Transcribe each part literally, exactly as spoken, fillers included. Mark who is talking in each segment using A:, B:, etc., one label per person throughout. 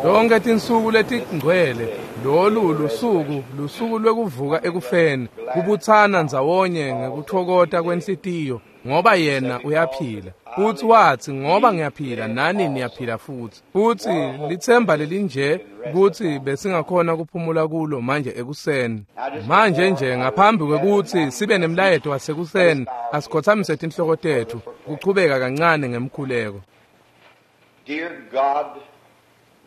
A: Tonke tinsuku letingcwele lolu lusuku lusuku lwekuvuka ekufeni kubutsana ndzawonye ngekuthokota kwenhlitiyo ngoba yena uyaphila. Futhi wathi ngoba ngiyaphila nani niyaphila futhi. Futhi lithemba lelinje ukuthi besingakhona kuphumula kulo manje ekuseni. Manje nje ngaphambi kwekuthi sibe nemlayeto wasekuseni asikhothamise tinhloko tethu kuchubeka kancane ngemkhuleko.
B: Dear God,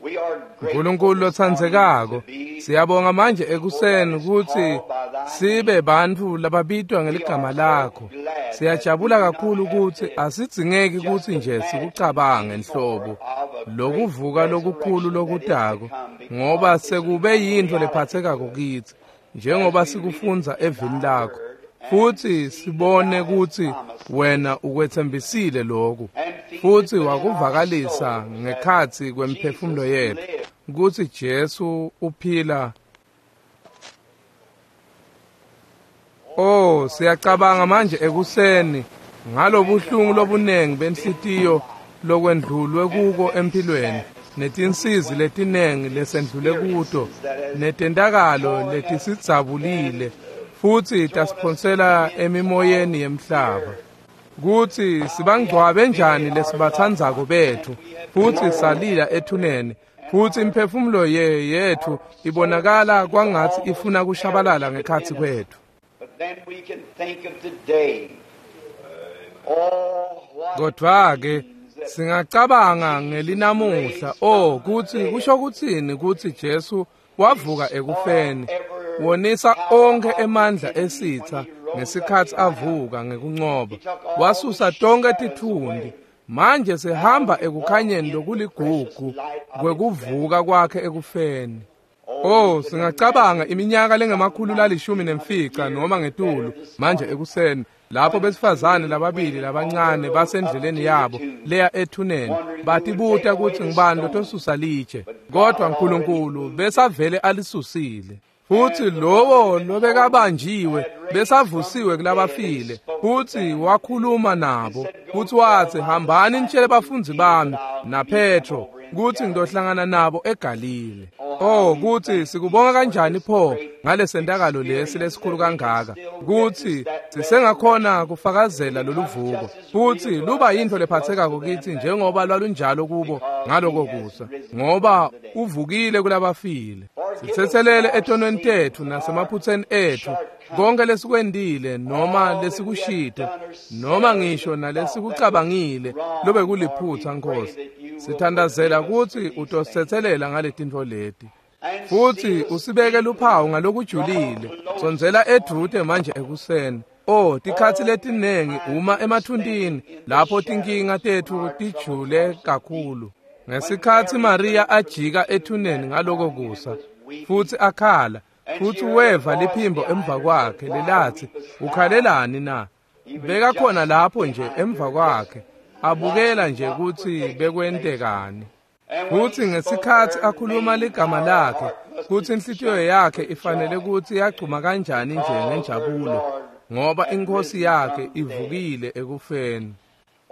B: we are
A: uNkulunkulu lotsandzekako, siyabonga manje ekuseni ukuthi sibe bantfu lababitwa ngeligama lakho. Siyajabula kakhulu ukuthi asidzingeki ukuthi nje sikucabange nhlobo lokuvuka lokukhulu lokutako, ngoba sekube yintfo lephathekako kitsi njengoba sikufundza evini lakho. Futhi sibone ukuthi wena ukwethembisile lokhu futhi wakuvakalisa ngekhatsi kwemphefumulo yethu ukuthi Jesu uphila. Oh, siyacabanga manje ekuseni ngalobuhlungu lobunengi benhlitiyo lokwendlulwe kuko empilweni, netinsizi letinengi lesendlule kuto, netentakalo letisidzabulile futhi tasiphonsela emimoyeni yemhlaba. Kuthi sibangcwabe njani lesibathandzako bethu futhi salila ethuneni, futhi imphefumulo ye yethu ibonakala kwangathi ifuna kushabalala ngekhatsi kwethu.
B: But then we can think of today. Oh, what
A: Kodwa-ke singacabanga ngelinamuhla, oh kuthi kusho kuthini ukuthi Jesu wavuka ekufeni, wonisa onkhe emandla esitha ngesikhathi avuka ngekuncoba, wasusa tonke tithundi. Manje sihamba ekukhanyeni lokuligugu kwekuvuka kwakhe ekufeni. Oh, singacabanga iminyaka lengemakhulu lalishumi nemfica noma ngetulu manje ekuseni lapho besifazane lababili labancane basendleleni yabo leya ethuneni batibuta ukuthi ngibani lotosusa litshe, kodwa uNkulunkulu besavele alisusile. Futhi lowo lobekabanjiwe besavusiwe kulabafile, futhi wakhuluma nabo futhi wathi hambani nitshele bafundzi bami naPetro kuthi ngizohlangana nabo eGalile. Oh, kuthi sikubonga kanjani pho ngalesentakalo lesi lesikhulu kangaka, kuthi sisengakhona kufakazela loluvuko futhi luba yintfo lephathekako kithi njengoba lwalunjalo kubo ngaloko kusa, ngoba uvukile kulabafile. Sithethelele etonweni tethu nasemaphutheni ethu konke lesikwendile noma lesikushide noma ngisho nalesikucabangile lobe kuliphutha Nkosi. Sithandazela ukuthi utosithethelela ngaletintfo leti futhi usibeke luphawu ngalokujulile. Sondzela edvute manje ekuseni. Oh, tikhatsi letinengi uma emathuntini lapho tinkinga tethu tijule kakhulu. Ngesikhatsi Maria ajika ethuneni ngaloko kusa futhi akhala, futhi weva liphimbo emva kwakhe lelathi ukhalelani na? Bekakhona lapho nje emva kwakhe abukela nje ukuthi bekwentekani. Futhi ngesikhathi akhuluma ligama lakhe, kuthi inhlitiyo yakhe ifanele ukuthi yagcuma kanjani nje ngenjabulo, ngoba inkosi yakhe ivukile ekufeni.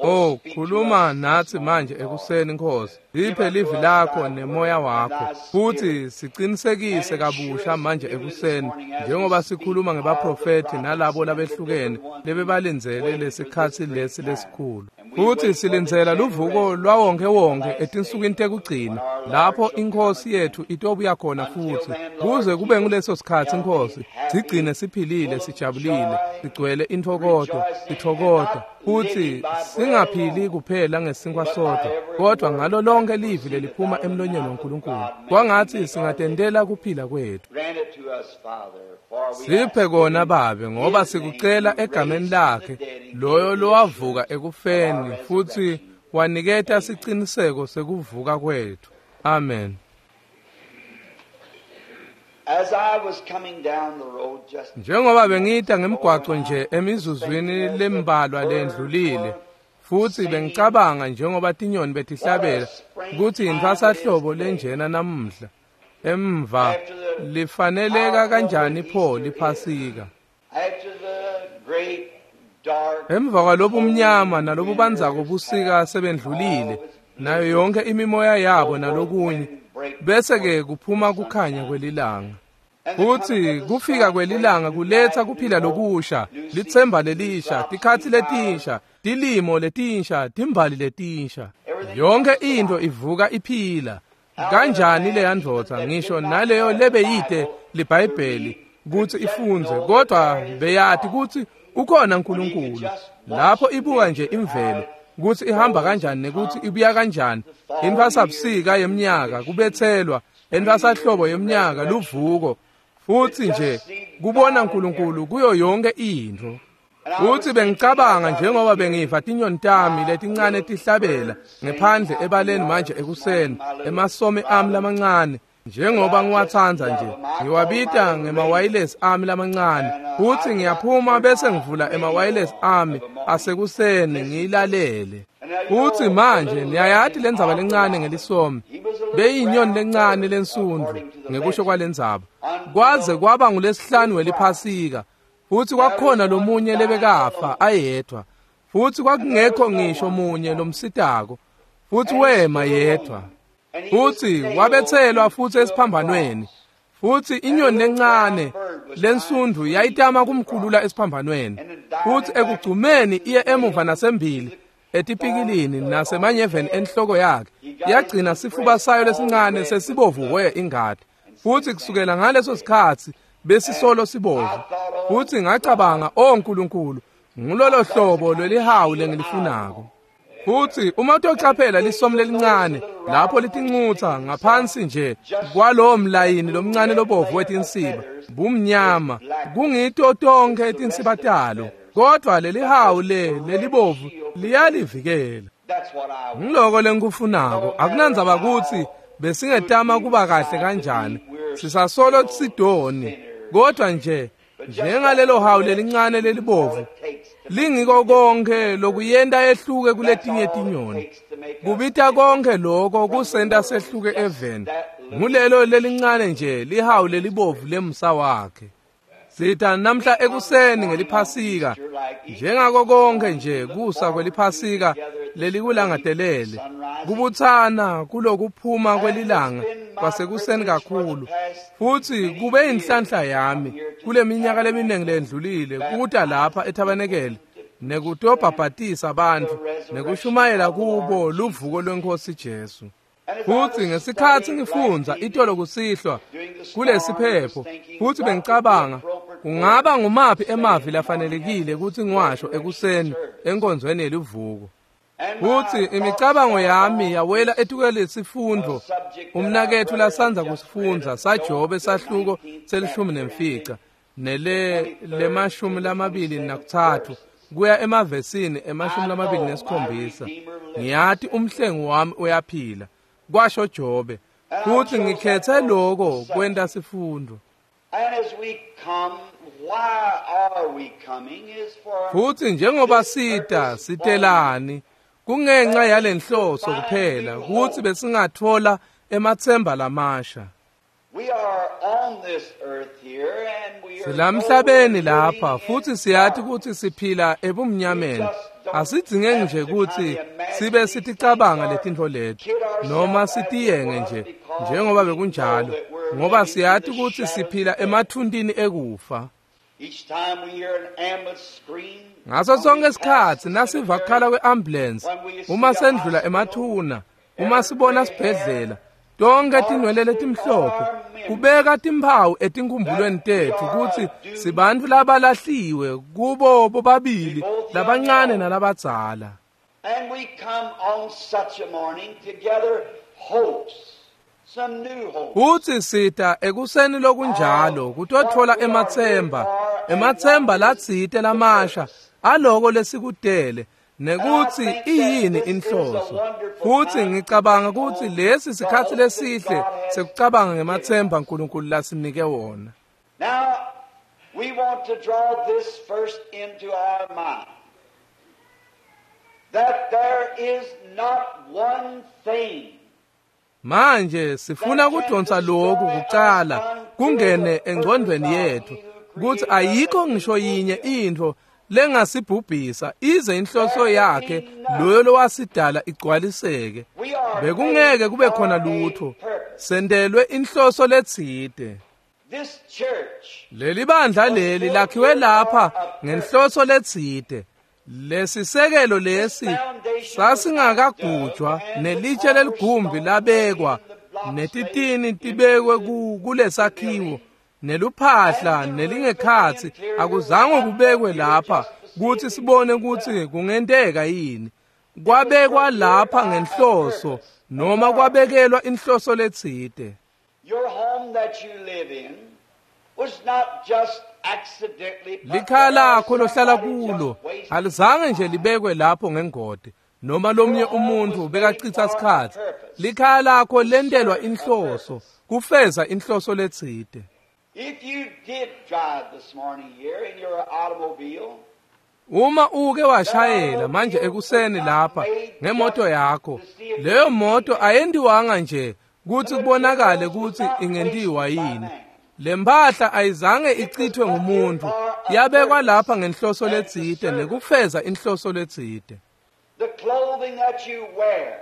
A: Oh, khuluma nathi manje ekuseni Nkosi. Liphe livi lakho nemoya wakho futhi siqinisekise kabusha manje ekuseni njengoba sikhuluma ngebaprofethi nalabo labehlukene lebebalindzele lesikhatsi lesi lesikhulu. Futhi silindzela luvuko lwawonke wonke etinsukwini tekugcina lapho inkosi yethu itobuya khona futhi. Kuze kube nguleso sikhatsi Nkosi, sigcine siphilile, sijabulile, sigcwele intfokoto, sithokota futhi singaphili kuphela ngesinkwa sodwa, kodwa ngalo lonke livi leliphuma emlonyeni waNkulunkulu. Kwangathi singatendela kuphila kwethu.
B: Grant it to us, Father, for we
A: Siphe
B: ask
A: kona
B: in
A: Babe, ngoba
B: his
A: sikucela
B: name who
A: egameni
B: raised the
A: lakhe
B: dead and
A: loyo
B: gave the
A: lowavuka
B: assurance
A: ekufeni
B: of our
A: futhi
B: resurrection.
A: waniketa siciniseko sekuvuka kwethu. Amen.
B: As I was coming down the road just
A: Njengoba bengita ngemgwaco nje emizuzwini lembalwa lendlulile, futhi bengicabanga njengoba tinyoni betihlabela ukuthi inthwasahlobo lenjena namuhla emva lifaneleka kanjani pho liphasika.
B: after the great dark
A: Emva kwalobumnyama nalobubanzako busika sebendlulile, nayo yonke imimoya yabo nalokunye, Bese-ke kuphuma kukhanya kwelilanga. Futsi kufika kwelilanga kuletsa kuphila lokusha, litsemba lelisha, tikhatsi letinsha, tilimo letinsha, timbali letinsha. Yonke into ivuka iphila. Kanjani leya ndvodza ngisho naleyo lebeyite liBhayibheli kutsi ifundze, kodwa beyati kutsi ukhona uNkulunkulu. Lapho ibuka nje imvelo kutsi ihamba kanjani nekutsi ibuya kanjani, intfwasabusika yeminyaka kubetselwa, entfwasahlobo yeminyaka luvuko, futsi nje kubona uNkulunkulu kuyo yonke intfo. Futsi bengicabanga njengoba bengiva tinyoni tami letincane tihlabela ngephandle ebaleni manje ekuseni, emasomi ami lamancane, njengoba ngiwatsandza nje, ngiwabita ngemawayilesi ami lamancane, futsi ngiyaphuma bese ngivula emawayilesi ami asekuseni ngiyilalele. Futsi manje niyayati lendzaba lencane ngelisomi, beyinyoni lencane lensundvu ngekusho kwalendzaba, kwaze kwaba ngulesihlanu weliphasika. Futsi kwakukhona lomunye lebekafa ayedvwa, futsi kwakungekho ngisho munye lomsitako, futsi wema yedvwa. Futsi wabetselwa futsi esiphambanweni, futsi inyoni lencane lensundvu yayitama kumkhulula esiphambanweni, futsi ekugcumeni iye emuva nasembili etipikilini nasemanyeveni enhloko yakhe, yagcina sifuba sayo lesincane sesibovu ingati. Futsi kusukela ngaleso sikhatsi besisolo sibovu. Futsi ngacabanga, o Nkulunkulu, ngulolo hlobo lwelihawu lengilifunako. Futsi uma utocaphela lisomi lelincane lapho litincutsa ngaphansi nje kwalowo mlayini lomncane lobovu wetinsiba, bumnyama kungito tonkhe tinsiba talo, kodvwa lelihawu le lelibovu liyalivikela. Ngiloko lengikufunako. Akunandzaba kutsi besingetama kuba kahle kanjani, sisasolo sidoni, kodwa nje njengalelo hawu lelincane lelibovu lingiko konke lokuyenta ehluke kuletinye tinyoni. Kubita konke lokho kusenta sehluke eveni, ngulelo lelincane nje lihawu lelibovu lemsa wakhe. Sita namhla ekuseni ngeliphasika, njengako konke nje kusa kweliphasika lelikulangatelele, kubutsana kulokuphuma kwelilanga kwasekuseni kakhulu. Futsi kube inhlanhla yami kuleminyaka leminingi lendlulile kuta lapha ethabanekele nekutobhabhatisa bantfu nekushumayela kubo luvuko lweNkhosi Jesu. Futsi ngesikhatsi ngifundza itolo kusihlwa kulesiphepho, futsi bengicabanga kungaba ngumaphi emavi lafanelekile kutsi ngiwasho ekuseni enkonzweni yelivuko. Futsi imicabango yami yawela etukwelesifundvo umnaketfu lasandza kusifundza saJobe sahluko selishumi nemfica nele lemashumi lamabili nakutsatfu kuya emavesini emashumi lamabili nesikhombisa. Ngiyati umhlengi wami uyaphila, kwasho Jobe, futsi ngikhetse lokho kwenta sifundo. Futsi njengoba sita sitelani kungenxa yalenhloso kuphela kutsi besingathola ematsemba lamasha. Silamhlabeni lapha futsi siyati kutsi siphila ebumnyameni. Asidzinge nje kutsi sibe siticabanga letintfo leti noma sitiyenge nje njengoba bekunjalo, ngoba siyati kutsi siphila emathuntini ekufa. Ngaso sonke isikhatsi nasiva kukhala kwe-ambulensi, uma sendlula emathuna, uma sibona sibhedlela, tonke tinwele letimhlophe kubeka timphawu etinkhumbulweni tetfu kutsi sibantfu labalahliwe kubo bobabili labancane nalabadzala. Futsi sita ekuseni lokunjalo kutotfola ematsemba, ematsemba latsite lamasha aloko lesikudele nekutsi iyini inhloso. Futsi ngicabanga kutsi lesi sikhatsi lesihle sekucabanga ngematsemba uNkulunkulu lasinike wona.
B: Now we want to draw this first into our mind, that there is not one thing.
A: Manje sifuna kudonsa lokhu kucala kungene engcondweni yethu kutsi ayikho ngisho yinye intfo lengasibhubhisa ize inhloso yakhe loyo lowasidala igcwaliseke. Bekungeke kube khona lutho. Sentelwe inhloso letsite.
B: This church
A: Leli bandla leli lakhiwe lapha ngenhloso letsite. Lesisekelo lesi sasingakagujwa nelitshe leligumbi labekwa netitini tibekwe kulesakhiwo neluphahla nelingekhatsi akuzange kubekwe lapha kutsi sibone kutsi kungenteka yini. Kwabekwa lapha ngenhloso noma kwabekelwa inhloso letsite.
B: Your home that you live in was not just accidentally put
A: Likhaya
B: there.
A: lakho lohlala
B: Somebody
A: kulo
B: just wasted
A: alizange nje libekwe lapho ngengodi noma lomnye umuntu bekachitha sikhatsi. Likhaya lakho lentelwa inhloso, kufeza inhloso letsite.
B: If you did drive this morning here in your automobile,
A: Uma uke washayela manje ekuseni lapha ngemoto yakho, leyo moto ayendiwanga nje kutsi kubonakale kutsi ingentiwa yini. Le mpahla ayizange ichithwe ngumuntu, yabekwa lapha ngenhloso letsite nekufeza inhloso letsite.
B: the clothing that you wear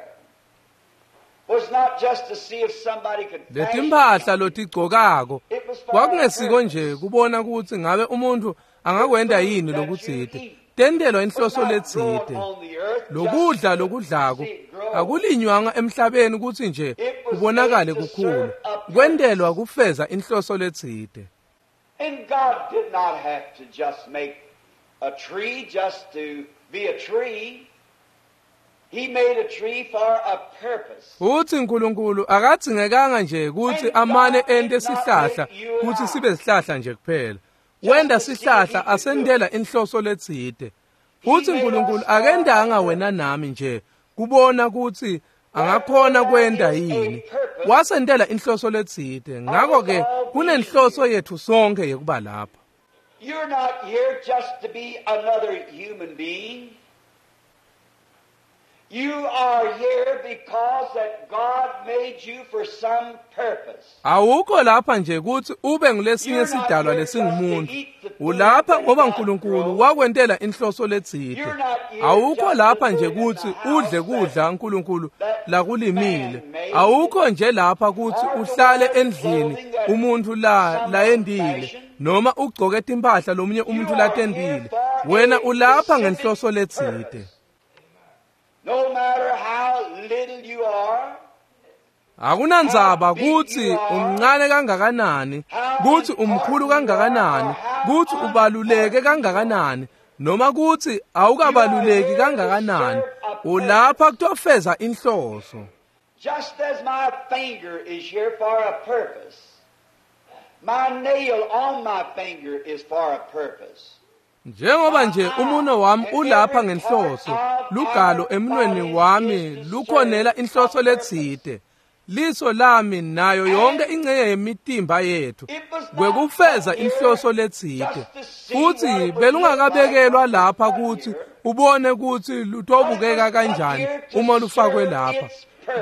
B: was not just to see if somebody could fashion
A: Letimpahla lotigcokako
B: It was for a
A: kwakungesiko nje
B: purpose.
A: kubona kutsi ngabe umuntu angakwenta yini lokutsite. Tentelwa inhloso
B: Was not
A: letsite.
B: grown on the earth just
A: Lokudla
B: to
A: lokudlako
B: see it grow.
A: akulinywanga emhlabeni kutsi nje kubonakale kukhulu. Kwentelwa kufeza inhloso letsite.
B: And God did not have to just make a tree just to be a tree. He made a tree for a purpose.
A: Futsi uNkulunkulu akadzingekanga nje kutsi amane ente sihlahla kutsi sibe sihlahla nje kuphela. Wenta sihlahla asentela inhloso letsite. Futsi uNkulunkulu akendanga wena nami nje kubona kutsi angakhona kwenta yini. Wasentela inhloso letsite. Ngakho ke kunenhloso yethu sonke yekuba lapha.
B: You're not here just to be another human being. You are here because that God made you for some purpose.
A: Awukho lapha nje kutsi ube ngulesinye sidalwa lesingumuntu. Ulapha ngoba uNkulunkulu wakwentela inhloso letsite. Awukho lapha nje kutsi udle kudla uNkulunkulu lakulimile. Awukho nje lapha kutsi uhlale endlini umuntu la layendile noma ugcoke timphahla lomunye umuntu latendile. Wena ulapha ngenhloso letsite.
B: No matter how little you are,
A: Akunandzaba kutsi umncane kangakanani, kutsi umkhulu kangakanani, kutsi ubaluleke kangakanani, noma kutsi awukabaluleki kangakanani, ulapha kutofeza inhloso.
B: just as my finger is here for a purpose, my nail on my finger is for a purpose.
A: Njengoba nje umuno wami ulapha ngenhloso, lugalo emunweni wami lukhonela inhloso letsite. Liso lami nayo yonke ingxenye yemitimba yethu kwekufeza inhloso letsite. Futsi belungakabekelwa lapha kutsi ubone kutsi lutobukeka kanjani uma lufakwe lapha.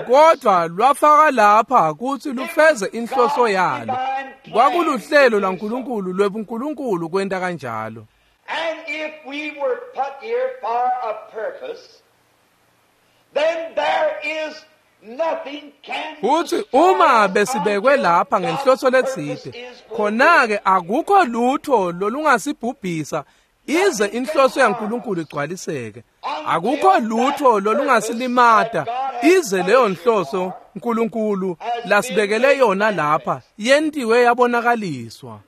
A: Kodwa lwafaka lapha kutsi lufeze inhloso yalo. Kwakuluhlelo lwaNkulunkulu lwebuNkulunkulu kwenta kanjalo.
B: And if we were put here for a purpose, then there is nothing can
A: Futsi
B: destroy
A: uma
B: us
A: besibekwe
B: until
A: lapha ngenhloso
B: God's
A: letsite,
B: purpose is fulfilled.
A: khona-ke akukho lutho lolungasibhubhisa ize inhloso yaNkulunkulu igcwaliseke. Akukho lutho lolungasilimata ize leyo nhloso uNkulunkulu lasibekele yona lapha yentiwe yabonakaliswa.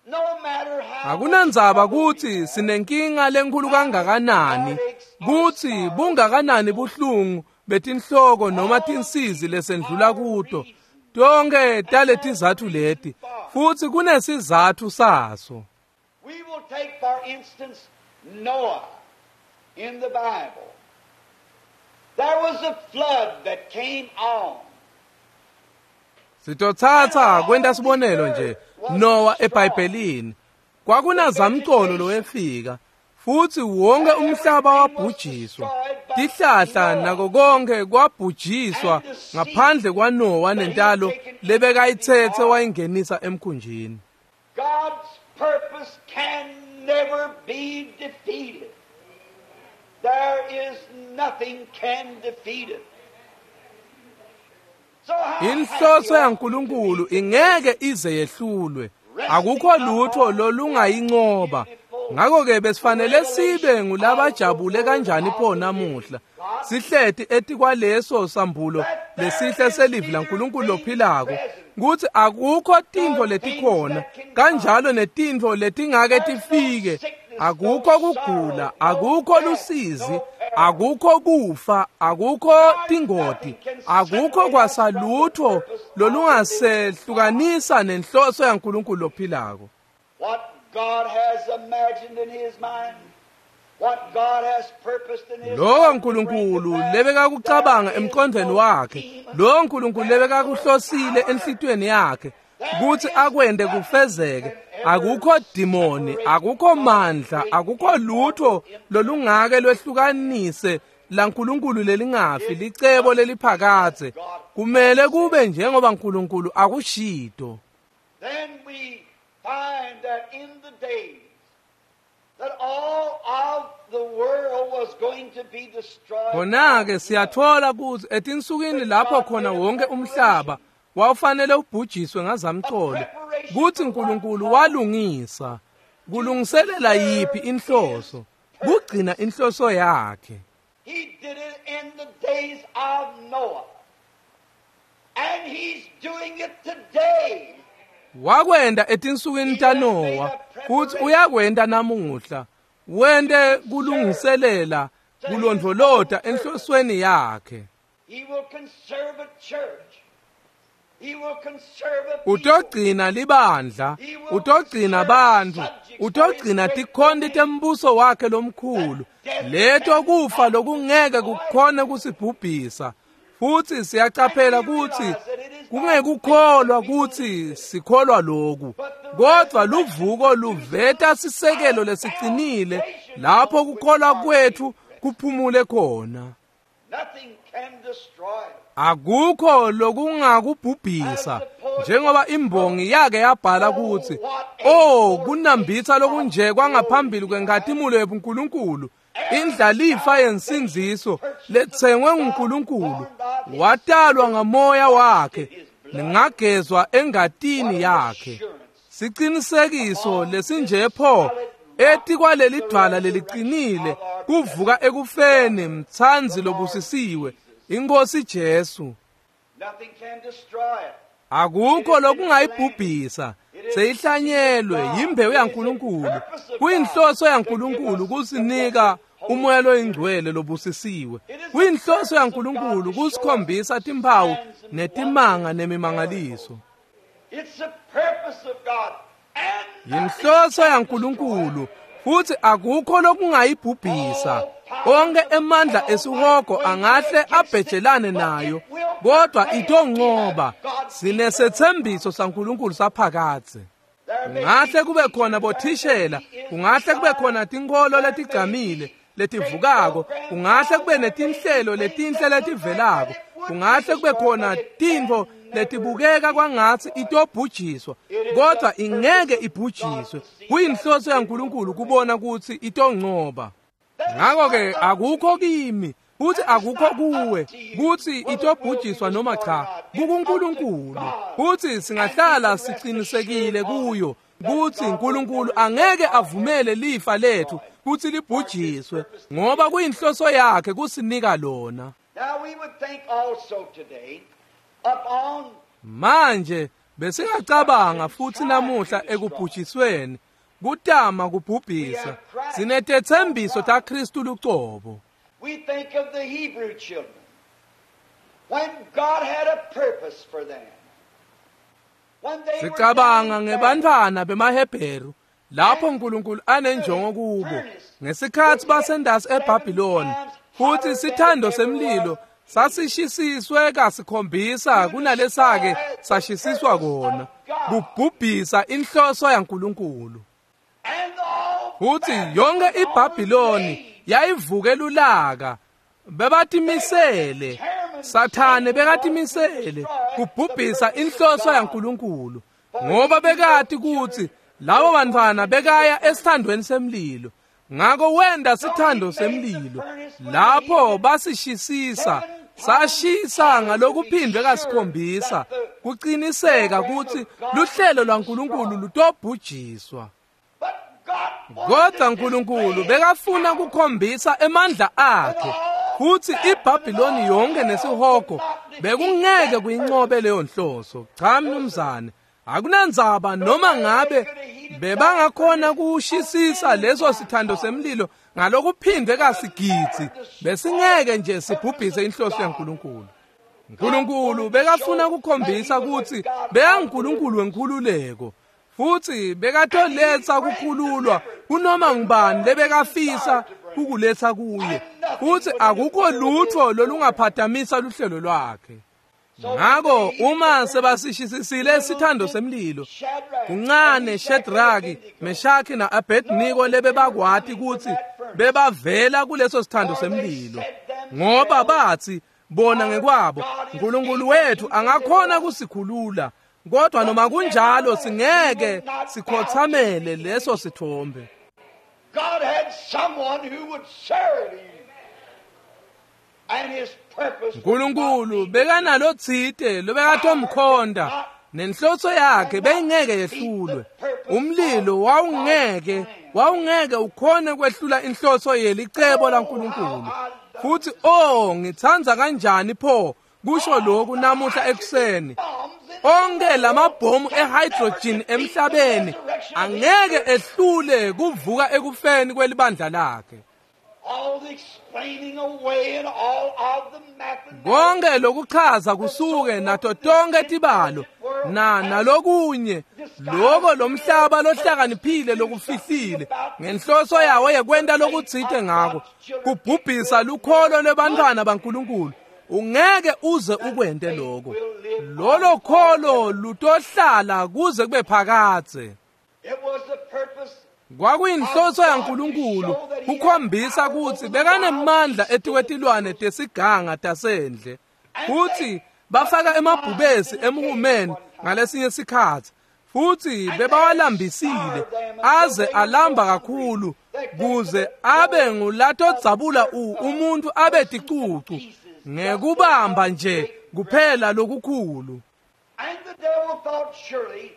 B: No matter how
A: Akunandzaba
B: much trouble we
A: kutsi
B: have,
A: sinenkinga lenkulu kangakanani, kutsi bungakanani buhlungu betinhloko noma tinsizi lesendlula kuto. Tonke taletizatfu leti, futsi kunesizatfu saso.
B: We will take, for instance, Noah in the Bible. There was a flood that came on.
A: Sitotsatsa kwenta sibonelo nje Noah eBhayibhelini. Kwakunazamcolo lowefika futsi wonke umhlaba wabhujiswa. Tihlahla nako konke kwabhujiswa ngaphandle kwaNoah nentalo lebekayitsetse wayingenisa emkhunjini.
B: God's purpose can never be defeated. There is nothing can defeat it.
A: Inhloso yaNkulunkulu ingeke ize yehlulwe. Akukho lutho lolungayinqoba. Ngakho-ke besifanele sibe ngulabajabule kanjani pho namuhla sihleti etikwaleso sambulo lesihle selivi laNkulunkulu lophilako kutsi akukho tintfo letikhona kanjalo netintfo letingake tifike. Akukho kugula, akukho lusizi, akukho kufa, akukho tingoti, akukho kwasalutho lolungasehlukanisa nenhloso yaNkulunkulu lophilako.
B: What God has imagined in his mind, what God has purposed in his
A: Lowo nkulunkulu lebekakucabanga emqondweni wakhe, lowo nkulunkulu lebekakuhlosile enhlitiyweni yakhe kutsi akwente kufezeke, akukho dimoni, akukho mandla, akukho lutho lolungake lwehlukanise laNkulunkulu lelingafi licebo leliphakadze. Kumele kube njengoba nkulunkulu akushito.
B: Then we find that in the days that all of the world was going to be destroyed.
A: Khona-ke siyathola kutsi etinsukwini lapho khona wonke umhlaba wawufanele ubhujiswe ngazamcolo, kutsi nkulunkulu walungisa kulungiselela yiphi inhloso, kugcina inhloso yakhe.
B: He did it in the days of Noah. And he's doing it today.
A: Wakwenta etinsukwini taNowa futsi uyakwenta namuhla. Wente kulungiselela kulondvolota enhlosweni yakhe.
B: He will conserve a church. He will conserve a people.
A: Utogcina libandla, utogcina bantfu, utogcina tikhonti tembuso wakhe lomkhulu, leto kufa lokungeke kukhone kusibhubhisa. Futsi siyacaphela kutsi kungekukholwa kutsi sikholwa loku, kodvwa luvuko luveta sisekelo lesicinile lapho kukholwa kwetfu kuphumule khona.
B: Nothing can destroy it.
A: Akukho lokungakubhubhisa, njengoba imbongi yake yabhala kutsi, "Oh, kunambitsa lokunje kwangaphambili kwenkhatimulo yebuNkulunkulu, indlalifa yensindziso letsengwe nguNkulunkulu, watalwa ngamoya wakhe, ngagezwa engatini yakhe." Sicinisekiso lesinje pho etikwaleli dvwala leliqinile kuvuka ekufeni mtsandzi lobusisiwe iNkosi Jesu.
B: Nothing can destroy it.
A: Akukho lokungayibhubhisa, seyihlanyelwe yimbewu yaNkulunkulu. Kuyinhloso yaNkulunkulu kusinika umoya loyingcwele lobusisiwe. Kuyinhloso yaNkulunkulu kusikhombisa timphawu netimanga nemimangaliso.
B: It's the purpose of God. And
A: Yinhloso yaNkulunkulu futhi akukho lokungayibhubhisa. Onke emandla esihogo angahle abhejelane nayo, kodwa itonqoba. Sinesethembiso saNkulunkulu saphakadze. Kungahle kube khona bothishela, kungahle kube khona tinkholo letigcamile letivukako, kungahle kube netinhlelo letinhle letivelako, kungahle kube khona tintfo letibukeka kwangatsi itobhujiswa, kodwa ingeke ibhujiswe. Kuyinhloso yaNkulunkulu kubona kutsi itonqoba. Ngakho-ke akukho kimi futhi akukho kuwe kutsi itobhujiswa noma cha, kukuNkulunkulu. Futhi singahlala sicinisekile kuyo kutsi uNkulunkulu angeke avumele lifa lethu kutsi libhujiswe, ngoba kuyinhloso yakhe kusinika lona.
B: Now we would think also today upon
A: Manje besingacabanga futhi namuhla ekubhujisweni kutama kubhubhisa, sinetethembiso taKristu lucobo.
B: We think of the Hebrew children when God had a purpose for them. When they were
A: Sicabanga
B: down in
A: ngebantfwana bemaHebheru lapho uNkulunkulu anenjongo kubo ngesikhatsi basendasi eBhabhiloni, futhi sithando semlilo sasishisiswe kasikhombisa kunalesake sashisiswa kona, kubhubhisa inhloso yaNkulunkulu.
B: And all
A: Futhi yonke iBhabhiloni yayivuke lulaka, bebatimisele, Sathane bekatimisele kubhubhisa inhloso yaNkulunkulu, ngoba bekati kutsi labo bantfwana bekaya esithandweni semlilo. Ngako wenta sithando semlilo lapho basishisisa Sashisa ngalokuphindwe kasikhombisa kuqiniseka kutsi luhlelo lwaNkulunkulu lutobhujiswa. Kodwa uNkulunkulu bekafuna kukhombisa emandla akhe futhi iBhabhiloni yonke nesihogo bekungeke kuyinqobe leyo nhloso. Cha mnumzane, akunandzaba noma ngabe bebangakhona kushisisa leso sithando semlilo ngalokuphindwe kasigidzi, besingeke nje sibhubhise inhloso yaNkulunkulu. uNkulunkulu bekafuna kukhombisa kutsi beyanguNkulunkulu wenkhululeko futhi bekatoletsa kukhululwa kunoma ngubani lebekafisa ukuletsa kuye, futhi akukho lutho lolungaphatamisa luhlelo lwakhe. Ngako uma sebasishisisile isithando semlilo, kuncane Shadraki, Meshaki na-Abednego lebebakwati kutsi bebavela kuleso sithando semlilo, ngoba bathi bona ngekwabo uNkulunkulu wethu angakhona kusikhulula, kodwa noma kunjalo singeke sikhothamele leso sithombe.
B: God had someone who would serve him. And his purpose
A: uNkulunkulu bekanalotsite lobekatomkhonda nenhloso yakhe beyingeke yehlulwe. Umlilo wawungeke wawungeke ukhone kwehlula inhloso yelicebo laNkulunkulu. Futhi oh ngitsandza kanjani pho kusho lokhu namuhla ekuseni. Onke lamabhomu ehydrogen emhlabeni angeke ehlule kuvuka ekufeni kwelibandla lakhe.
B: All the explaining away and all of the mathematics.
A: Konke lokuchaza kusuke nato tonke tibalo na nalokunye loko lomhlaba lohlakaniphile lokufihlile ngenhloso yawo yekwenta lokutsite ngako kubhubhisa lukholo lwebantwana baNkulunkulu. Ungeke uze ukwente lokho. Lolo kholo lutohlala kuze kube phakadze.
B: It was the purpose
A: Kwakuyinhloso yaNkulunkulu kukhombisa kutsi bekanemandla etikwetilwane tesiganga tasendle. Futhi bafaka emabhubesi emhumeni ngalesinye sikhatsi, futhi bebawalambisile aze alamba kakhulu kuze abe ngulatodzabula umuntu abe ticucu ngekubamba nje kuphela lokukhulu.
B: And the devil thought, surely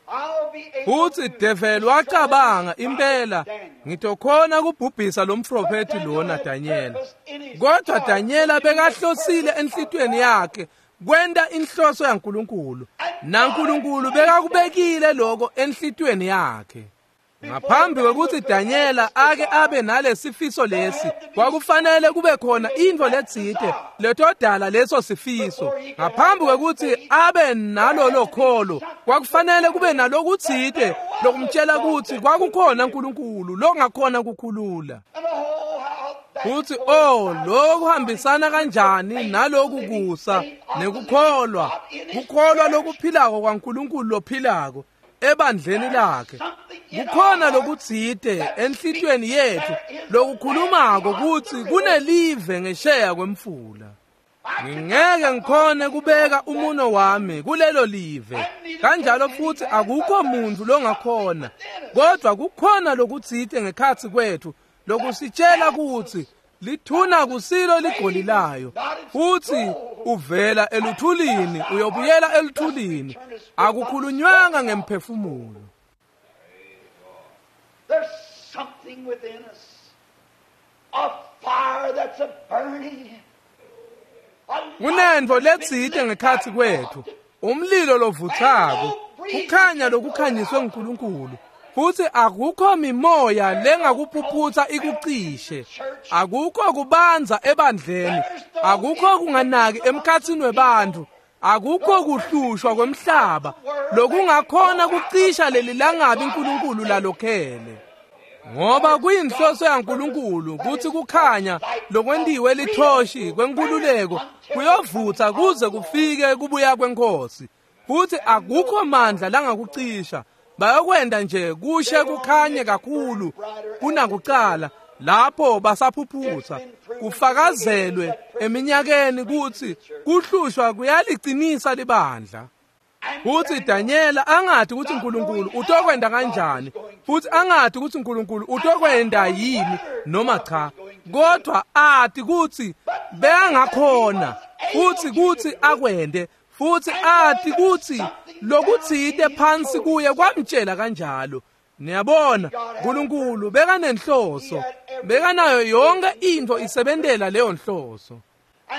B: I'll be able
A: Futhi
B: to
A: devil wacabanga impela ngitokhona kubhubhisa lo mprofeti lona Daniel. Kodwa Daniela bekahlosile enhlitweni yakhe kwenta inhloso yaNkulunkulu, naNkulunkulu bekakubekile lokho enhlitweni yakhe. Ngaphambi kwekutsi Daniela ake abe nalesifiso lesi, kwakufanele kube khona intfo letsite letodala leso sifiso. Ngaphambi kwekutsi abe nalolo kholo, kwakufanele kube nalokutsite lokumtshela kutsi kwakukhona uNkulunkulu longakhona kukhulula.
B: And oh, how that
A: Futhi oh lokhu kuhambisana kanjani naloku kusa nekukholwa, kukholwa lokuphilako kwaNkulunkulu lophilako ebandleni lakhe. Kukhona lokutsite enhlitiyweni yethu lokukhulumako kutsi kunelive ngesheya kwemfula. Ngingeke ngikhone kubeka umuno wami kulelo live, kanjalo futhi akukho muntu longakhona, kodwa kukhona lokutsite ngekhatsi kwethu lokusitshela kutsi lithuna kusilo ligoli layo, futhi uvela eluthulini uyobuyela eluthulini. Akukhulunywanga ngemphefumulo.
B: There's something within us, a fire that's a burning. A
A: Kunentfo letsite ngekhatsi kwethu, umlilo lovutsako, kukhanya lokukhanyiswe nguNkulunkulu. Futhi akukho mimoya lengakuphuphutsa ikucishe, akukho kubanza ebandleni, akukho kunganaki emkhatsini webantfu, akukho kuhlushwa kwemhlaba lokungakhona kucisha leli langabi uNkulunkulu lalokhele. Ngoba kuyinhloso yaNkulunkulu kutsi kukhanya lokwentiwe lithoshi kwenkululeko kuyovutsa kuze kufike kubuya kwenkosi, futhi akukho mandla langakucisha. Bayokwenda nje kushe kukhanye kakhulu kunakucala lapho basaphuphutsa. Kufakazelwe eminyakeni kutsi kuhlushwa kuyaliqinisa libandla. Futsi Danyela angathi kutsi uNkulunkulu utokwenta kanjani, futsi angathi kutsi uNkulunkulu utokwenta yini noma cha, kodwa ati kutsi bekangakhona futsi kutsi akwente, futsi ati kutsi lokutsite phansi kuye kwamtshela kanjalo. Niyabona, uNkulunkulu bekanenhloso, bekanayo yonke intfo isebentela leyo nhloso.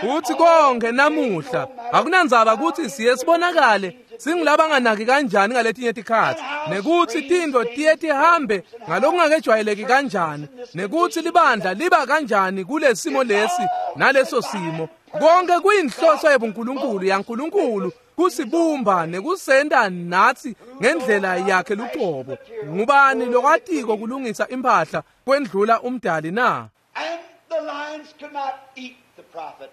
A: Futsi konke namuhla akunandzaba kutsi siye sibonakale singulabanganaki kanjani ngaletinye tikhatsi, nekutsi tintfo tiye tihambe ngalokungakejwayeleki kanjani, nekutsi libandla liba kanjani kulesimo lesi naleso simo. Konke kuyinhloso yebuNkulunkulu yaNkulunkulu kusibumba nekusenta natsi ngendlela yakhe lucobo. Ngubani lokwatiko kulungisa impahla kwendlula umdali na?
B: And the lions could not eat the prophet.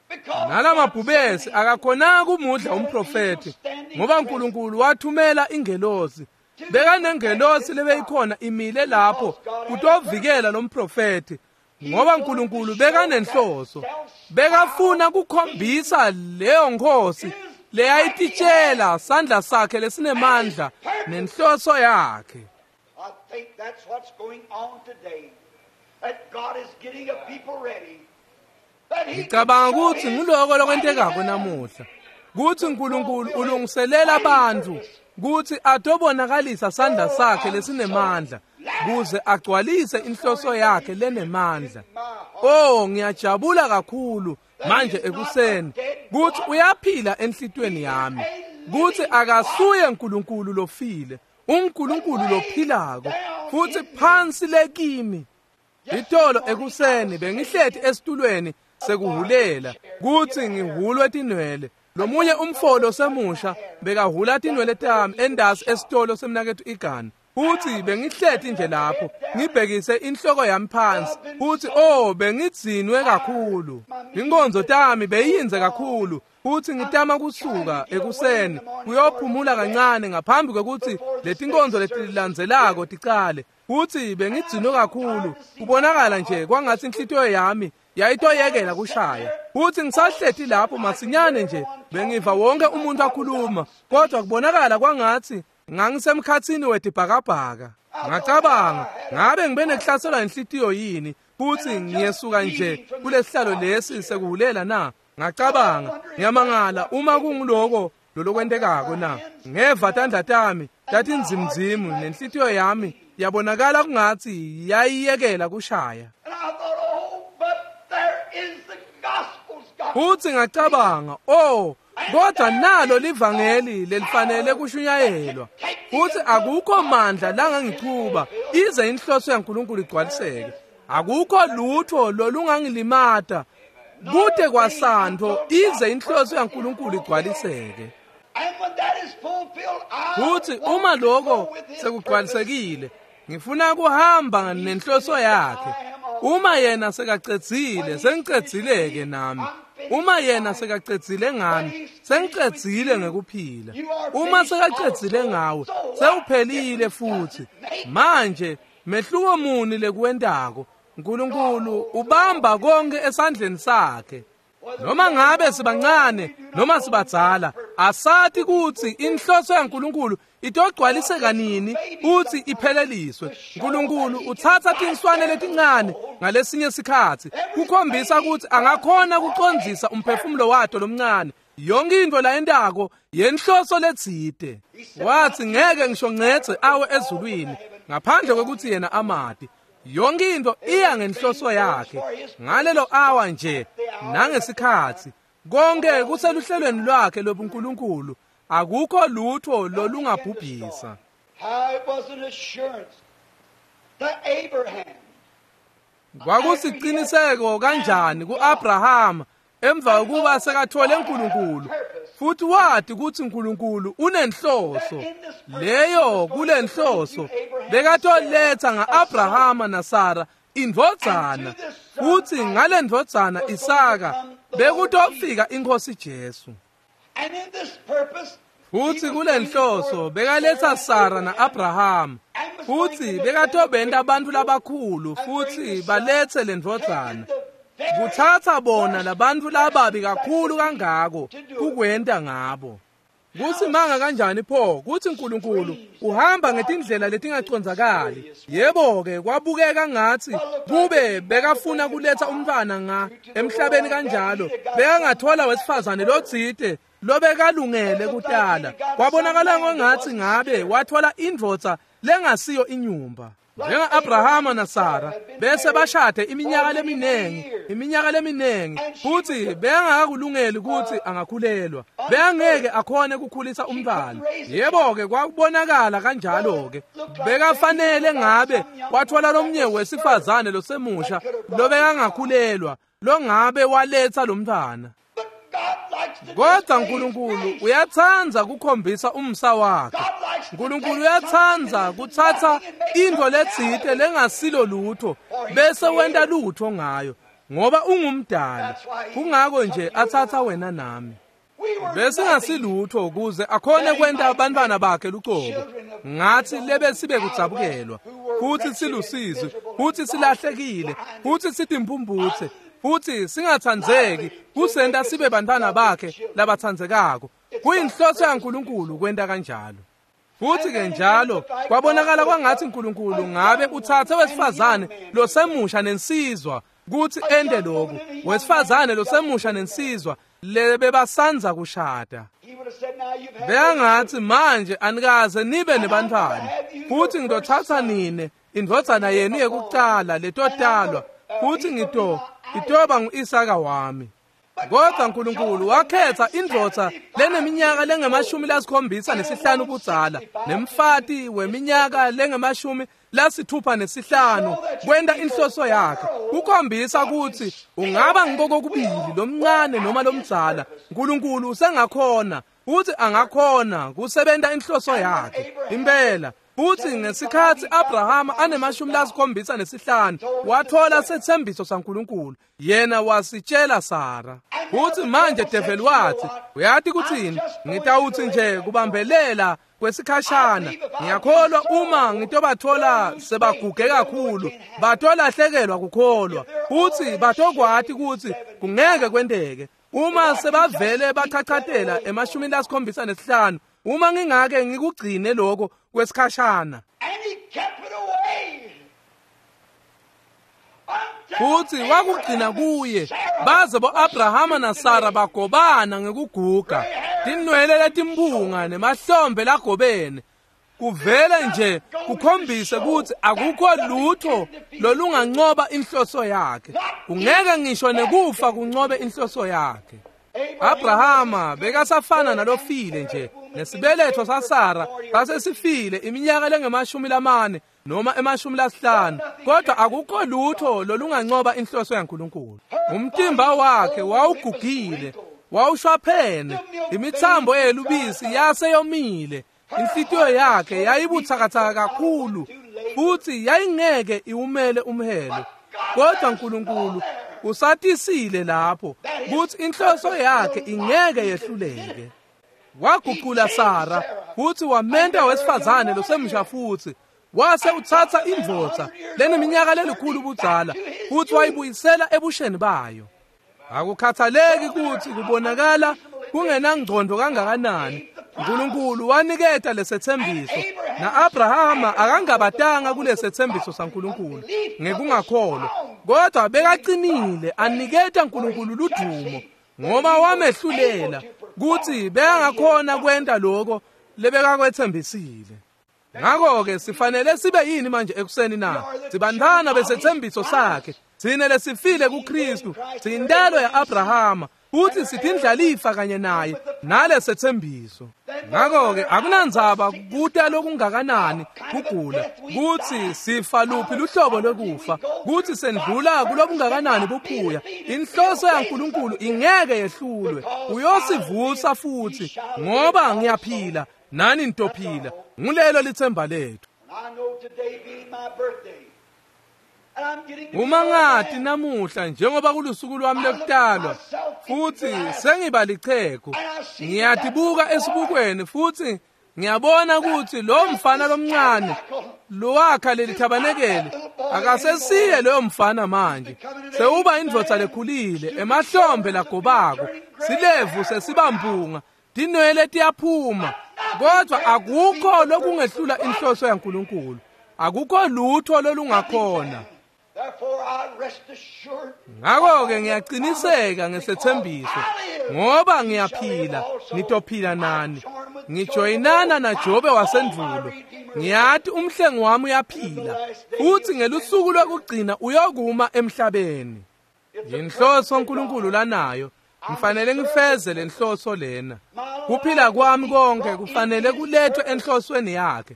B: Because
A: Nalamabhubesi akakhonanga kumudla umprofethi, ngoba uNkulunkulu wathumela ingelosi. Bekanengelosi lebeyikhona imile lapho kutovikela lo mprofethi, ngoba uNkulunkulu bekanenhloso. Bekafuna kukhombisa leyo nkhosi leyayititshela sandla sakhe lesinemandla nenhloso yakhe.
B: I think that's what's going on today. That God is getting a people ready. That he can
A: Ngicabanga
B: show
A: kutsi
B: his
A: nguloko lokwentekako
B: mighty hand.
A: namuhla, kutsi uNkulunkulu ulungiselela bantfu kutsi atobonakalisa sandla sakhe lesinemandla kuze agcwalise inhloso yakhe lenemandla. Oh, ngiyajabula kakhulu manje ekuseni kutsi uyaphila enhlitiyweni yami, kutsi akasuye uNkulunkulu lofile, uNkulunkulu lophilako futsi phansi lekimi. Itolo ekuseni bengihleti esitulweni sekuhulela kutsi ngihulwe tinwele. Lomunye umfolo semusha bekahula tinwele tami endasi esitolo semnaketfu Igana. Futsi bengihleti nje lapho ngibhekise inhloko yami phansi, futsi oh bengidzinwe kakhulu. Inkonzo tami beyiyindze kakhulu, futsi ngitama kusuka ekuseni kuyophumula kancane ngaphambi kwekutsi letinkonzo letilandzelako ticale. Futsi bengidzinwe kakhulu, kubonakala nje kwangatsi inhlitiyo yami yayitoyekela kushaya. Futsi ngisahleti lapho masinyane nje bengiva wonke umuntu akhuluma, kodwa kubonakala kwangatsi ngangisemkhatsini wetibhakabhaka. Ngacabanga, ngabe ngibe nekuhlaselwa inhlitiyo yini, futsi ngiyesuka nje kulesihlalo lesi sekuhulela na? Ngacabanga, ngiyamangala uma kunguloko lolokwentekako na? Ngeva tandla tami tatinzimzimu nenhlitiyo yami yabonakala kungatsi yayiyekela kushaya.
B: And I thought, oh, but there is the gospel's gospel.
A: Futsi ngacabanga, oh, kodwa nalo livangeli lelifanele kushunyayelwa. Futsi akukho mandla langangichuba ize inhloso yaNkulunkulu igcwaliseke. Akukho lutho lolungangilimata kute kwasantfo ize inhloso yaNkulunkulu igcwaliseke.
B: And when that is fulfilled, I
A: Futsi
B: want
A: uma
B: to go
A: lokho
B: with his purpose.
A: sekugcwalisekile, ngifuna kuhamba nenhloso yakhe. Uma yena sekacedzile, sengicedzile-ke nami. Uma yena sekacedzile ngami, sengicedzile ngekuphila. Uma sekacedzile ngawe, sewuphelile futhi. Manje mehluko muni lekuwentako? uNkulunkulu ubamba konke esandleni sakhe. Noma ngabe sibancane noma sibadzala, asati kutsi inhloso yaNkulunkulu itogcwaliseka nini futsi ipheleliswe. uNkulunkulu utsatsa tinswane letincane ngalesinye sikhatsi kukhombisa kutsi angakhona kucondzisa umphefumulo wato lomncane. Yonke intfo layentako yenhloso letsite. Watsi ngeke ngisho ncedze awe ezulwini ngaphandle kwekutsi yena amati. Yonke intfo iya ngenhloso yakhe ngalelo awa nje nangesikhatsi. Konke kuseluhlelweni lwakhe lobuNkulunkulu, akukho lutho lolungabhubhisa.
B: How it was an assurance to Abraham.
A: Kwakusiciniseko kanjani ku-Abrahama emva kokuba sekathole uNkulunkulu, futhi wati kutsi uNkulunkulu unenhloso. Leyo kulenhloso bekatoletsa nga-Abrahama naSara indvodzana, futsi ngalendvodzana Isaka bekutofika iNkhosi Jesu.
B: And in this purpose,
A: Futsi kulenhloso bekaletsa Sara na-Abrahama, futsi bekatobenta bantfu labakhulu futsi baletse lendvodzana. Kutsatsa bona labantfu lababi kakhulu kangako kukwenta ngabo. Kusimanga kanjani pho kutsi uNkulunkulu uhamba ngetindlela letingacondzakali. Yebo-ke kwabukeka ngathi kube bekafuna kuletha umntfwana nga emhlabeni kanjalo bekangathola wesifazane lotsite lobekalungele kutala. Kwabonakala ngongathi ngabe wathola indvodza lengasiyo inyumba. Njenga Abrahama naSara bese bashade iminyaka leminingi iminyaka leminingi futhi bengakakulungeli ukuthi angakhulelwa, bengeke akhone ukukhulisa umntwana. Yebo-ke kwakubonakala kanjalo-ke bekafanele ngabe wathola lomnye wesifazane losemusha lobekangakhulelwa longabe waletha lo mntwana. Kodwa uNkulunkulu uyathanda kukhombisa umsa wakhe. uNkulunkulu uyathanda kuthatha into letsite lengasilo lutho bese wenta lutho ngayo, ngoba ungumdali. Kungako nje athatha wena nami bese ngasilutho ukuze akhone kwenta abantwana bakhe lucobo ngathi lebe sibe kudzabukelwa futhi silusizi futhi silahlekile futhi sitimphumphutse futhi singathandzeki, kusenta sibe bantwana bakhe labathandzekako. Kuyinhloso yaNkulunkulu kwenta kanjalo. Futhi ke njalo kwabonakala kwangathi uNkulunkulu ngabe uthathe wesifazane losemusha nensizwa kuthi ende lokhu, wesifazane losemusha nensizwa lebebasanza kushada. Beyangathi manje anikaze nibe nebantwana, futhi ngitothatha nine indvodzana yenu yekucala letotalwa, futhi ngito itoba ngu-Isaka wami. Kodwa uNkulunkulu wakhetha indvodza leneminyaka lengemashumi lasikhombisa nesihlanu budzala nemfati weminyaka lengemashumi lasithupha nesihlanu kwenta inhloso yakhe, kukhombisa ukuthi ungaba ngikokubili lomncane noma lomdzala, uNkulunkulu usengakhona futhi angakhona kusebenta inhloso yakhe impela. Futhi ngesikhathi Abrahama anemashumi lasikhombisa nesihlanu wathola sethembiso saNkulunkulu, yena wasitshela Sara. Futhi manje devil wathi, uyathi kuthini? Ngitawuthi nje kubambelela kwesikhashana, ngiyakholwa uma ngitobathola sebaguge kakhulu batolahlekelwa kukholwa, futhi batokwati ukuthi kungeke kwenteke. Uma sebavele bachachatela emashumini lasikhombisa nesihlanu, uma ngingake ngikugcine lokho kwesikhashana. Futhi wakugcina kuye baze bo-Abrahama naSara bagobana ngekuguga, tinwele letimpunga nemahlombe lagobene. Kuvele nje kukhombise ukuthi akukho lutho lolungancoba inhloso yakhe, kungeke ngisho nekufa kuncobe inhloso yakhe. Abrahama bekasafana nalofile nje, nesibeletho saSara sasesifile iminyaka lengemashumi lamane noma emashumi lasihlanu, kodwa akukho lutho lolungancoba inhloso yaNkulunkulu. Umtimba wakhe wawugugile, wawushwaphene, imithambo yelubisi yaseyomile, inhlitiyo yakhe yayibuthakathaka kakhulu futhi yayingeke iwumele umhelo. Kodwa uNkulunkulu usatisile lapho ukuthi inhloso yakhe ingeke yehluleke. Waguqula Sara futhi wamenta wesifazane losemusha, futhi wase uthatha indvodza leneminyaka lelikhulu budzala futhi wayibuyisela ebusheni bayo. Akukhathaleki ukuthi kubonakala kungenangcondo kangakanani, uNkulunkulu waniketa lesethembiso, na-Abrahama akangabatanga kulesethembiso saNkulunkulu ngekungakholwa, kodwa bekacinile aniketa uNkulunkulu ludumo ngoba wamehlulela kuthi bekangakhona kwenta lokho lebekakwethembisile. Ngakho-ke sifanele sibe yini manje ekuseni na? Sibantwana besethembiso sakhe, thina lesifile kuKristu, siyintalo ya-Abrahama futhi sithindlalifa kanye naye nalesethembiso. Ngakho-ke akunandzaba kuta lokungakanani kugula, kuthi sifa luphi luhlobo lwekufa, kuthi sendlula kulobungakanani buphuya, inhloso yaNkulunkulu ingeke yehlulwe. Uyosivusa futhi, ngoba ngiyaphila nani nitophila. Ngulelo lithemba lethu. Uma ngathi namuhla njengoba kulusuku lwami lokutalwa futhi sengiba lichegu, ngiyatibuka esibukweni futhi ngiyabona ukuthi lo mfana lomncane lowakha leli thabanekele akasesiye loyo mfana manje, sewuba indvodza lekhulile emahlombe lagobako, silevu sesibampunga, Tinwele tiyaphuma, kodwa akukho lokungehlula inhloso yaNkulunkulu. Akukho lutho lolungakhona. Ngakho-ke ngiyaqiniseka ngesethembiso, ngoba ngiyaphila, nitophila nani. Ngijoyinana naJobe wasendulo. Ngiyati umhlengi wami uyaphila, futhi ngelusuku lokugcina uyokuma emhlabeni. Yinhloso uNkulunkulu lanayo. Ngifanele ngifeze le nhloso lena. Kuphila kwami konke kufanele kulethwe enhlosweni yakhe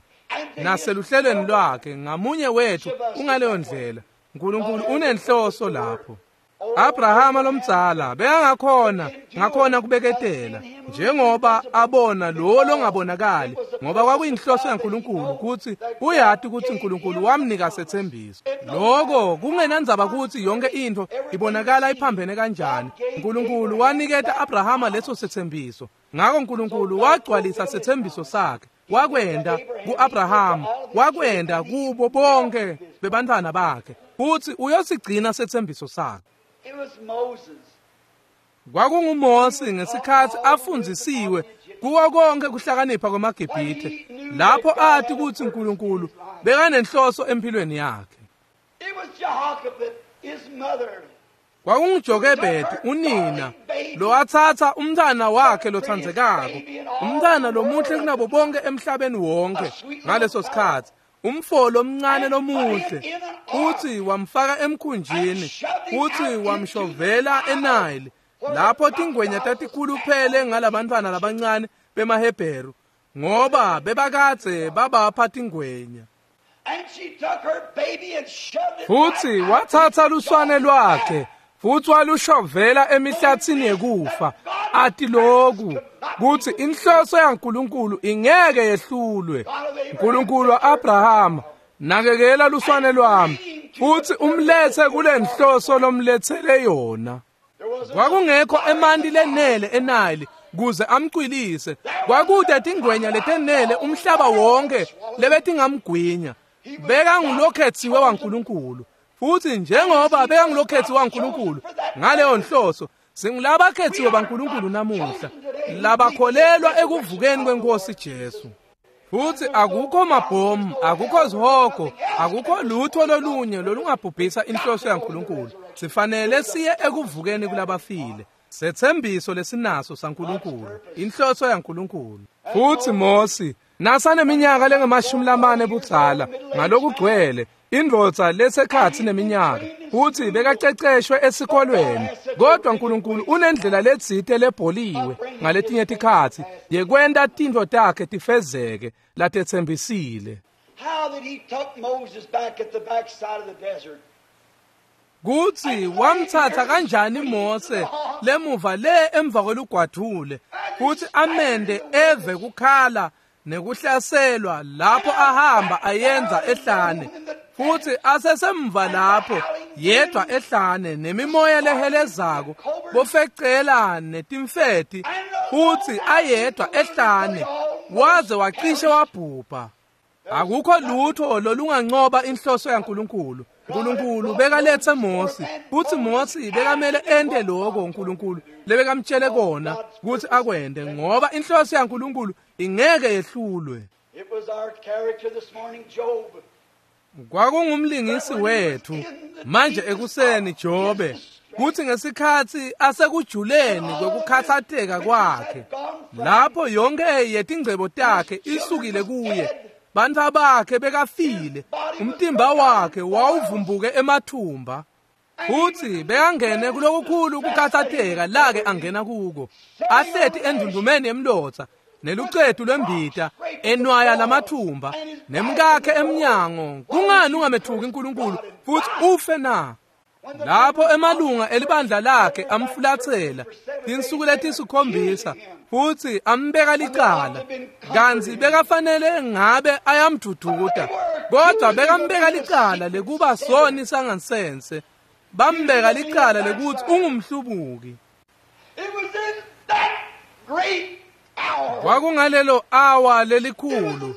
A: naseluhlelweni lwakhe. Ngamunye wethu ungaleyo ndlela. uNkulunkulu unenhloso lapho. Abrahama lomdzala bekangakhona ngakhona kubeketela njengoba abona lo longabonakali, ngoba kwakuyinhloso yaNkulunkulu ukuthi uyati ukuthi uNkulunkulu wamnika sethembiso. Lokho kungenandzaba ukuthi yonke into ibonakala iphambene kanjani, uNkulunkulu waniketa Abrahama leso sethembiso. Ngakho uNkulunkulu wagcwalisa sethembiso sakhe, wakwenda ku-Abrahama, wakwenda kubo bonke bebantwana bakhe, futhi uyosigcina sethembiso sakhe. KwakunguMose ngesikhathi afundzisiwe kuwo konke kuhlakanipha kwemaGibhithe, lapho athi ukuthi uNkulunkulu bekanenhloso empilweni yakhe. KwakunguJokebedi unina lowathatha umntana wakhe lothandzekako, umntana lomuhle kunabo bonke emhlabeni wonke ngaleso sikhathi, umfo lomncane lomuhle, futhi wamfaka emkhunjini, futhi wamshovela eNile, lapho tingwenya tatikhuluphele ngalabantwana labancane bemaHebheru, ngoba bebakadze babapha tingwenya. Futhi wathatha luswane lwakhe, futhi walushovela emihlathini yekufa, ati lokhu kuthi inhloso yaNkulunkulu ingeke yehlulwe. uNkulunkulu wa-Abrahama, nakekela luswane lwami, futhi umlethe kule nhloso lomlethele yona. Kwakungekho emanti lenele eNile kuze amcwilise, kwakude tingwenya letenele umhlaba wonke lebetingamgwinya. Bekangulokhethiwe waNkulunkulu, futhi njengoba bekangulokhethiwe waNkulunkulu ngaleyo nhloso, singulabakhethiwe baNkulunkulu namuhla, labakholelwa ekuvukeni kwenkosi Jesu. Futhi akukho mabhomu, akukho zihogo, akukho lutho lolunye lolungabhubhisa inhloso yaNkulunkulu. Sifanele siye ekuvukeni kulabafile. Sethembiso lesinaso saNkulunkulu, inhloso yaNkulunkulu. Futhi Mose nasaneminyaka lengamashumi lamane budzala ngalokugcwele, indvodza lesekhatsi neminyaka, futhi bekaceceshwe esikolweni, kodwa uNkulunkulu unendlela letsite lebholiwe ngaletinye tikhatsi yekwenta tintfo takhe tifezeke latetsembisile. Kutsi wamthatha kanjani Mose lemuva le emva kwelugwadvule, kutsi amende eve kukhala nekuhlaselwa lapho ahamba ayenza ehlane, futhi asesemva lapho yedwa ehlane nemimoya lehelezako, bofecela netimfeti, futhi ayedwa ehlane waze wacishe wabhubha. Akukho lutho lolunganqoba inhloso yaNkulunkulu. uNkulunkulu bekalethe Mose, futhi Mose bekamele ente lokho uNkulunkulu lebekamtshele kona ukuthi akwente, ngoba inhloso yaNkulunkulu ingeke yehlulwe. Kwakungumlingisi wethu manje ekuseni Jobe, kuthi ngesikhathi asekujuleni kwekukhathatheka kwakhe, lapho yonke yetingcebo takhe isukile kuye, bantfu bakhe bekafile, umtimba wakhe wawuvumbuke emathumba, futhi bekangene kulokukhulu kukhathatheka lake angena kuko, ahleti endundumeni yemlotsa nelucetu lwembita, enwaya lamathumba, nemkakhe emnyango. Kungani ungamethuki uNkulunkulu futhi ufe na? Lapho emalunga elibandla lakhe amfulathela tinsuku letisikhombisa, futhi ambeka licala, kantsi bekafanele ngabe ayamdududa, kodwa bekambeka licala lekuba soni sangansense, bambeka licala lekuthi ungumhlubuki. Kwakungalelo awa lelikhulu,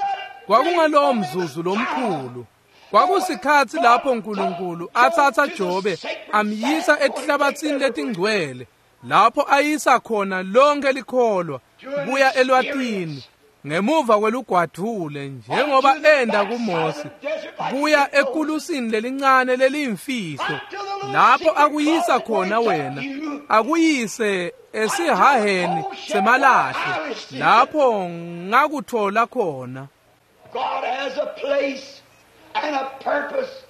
A: kwakungalowo mzuzu lomkhulu, kwakusikhatsi lapho uNkulunkulu athatha Jobe amyisa etihlabathini letingcwele, lapho ayisa khona lonke likholwa, kuya elwatini ngemuva kwelugwadvule njengoba enda kuMose, kuya ekulusini lelincane leliyimfihlo lapho akuyisa khona wena, akuyise esihaheni semalahle lapho ngakuthola khona.
B: God has a place and a purpose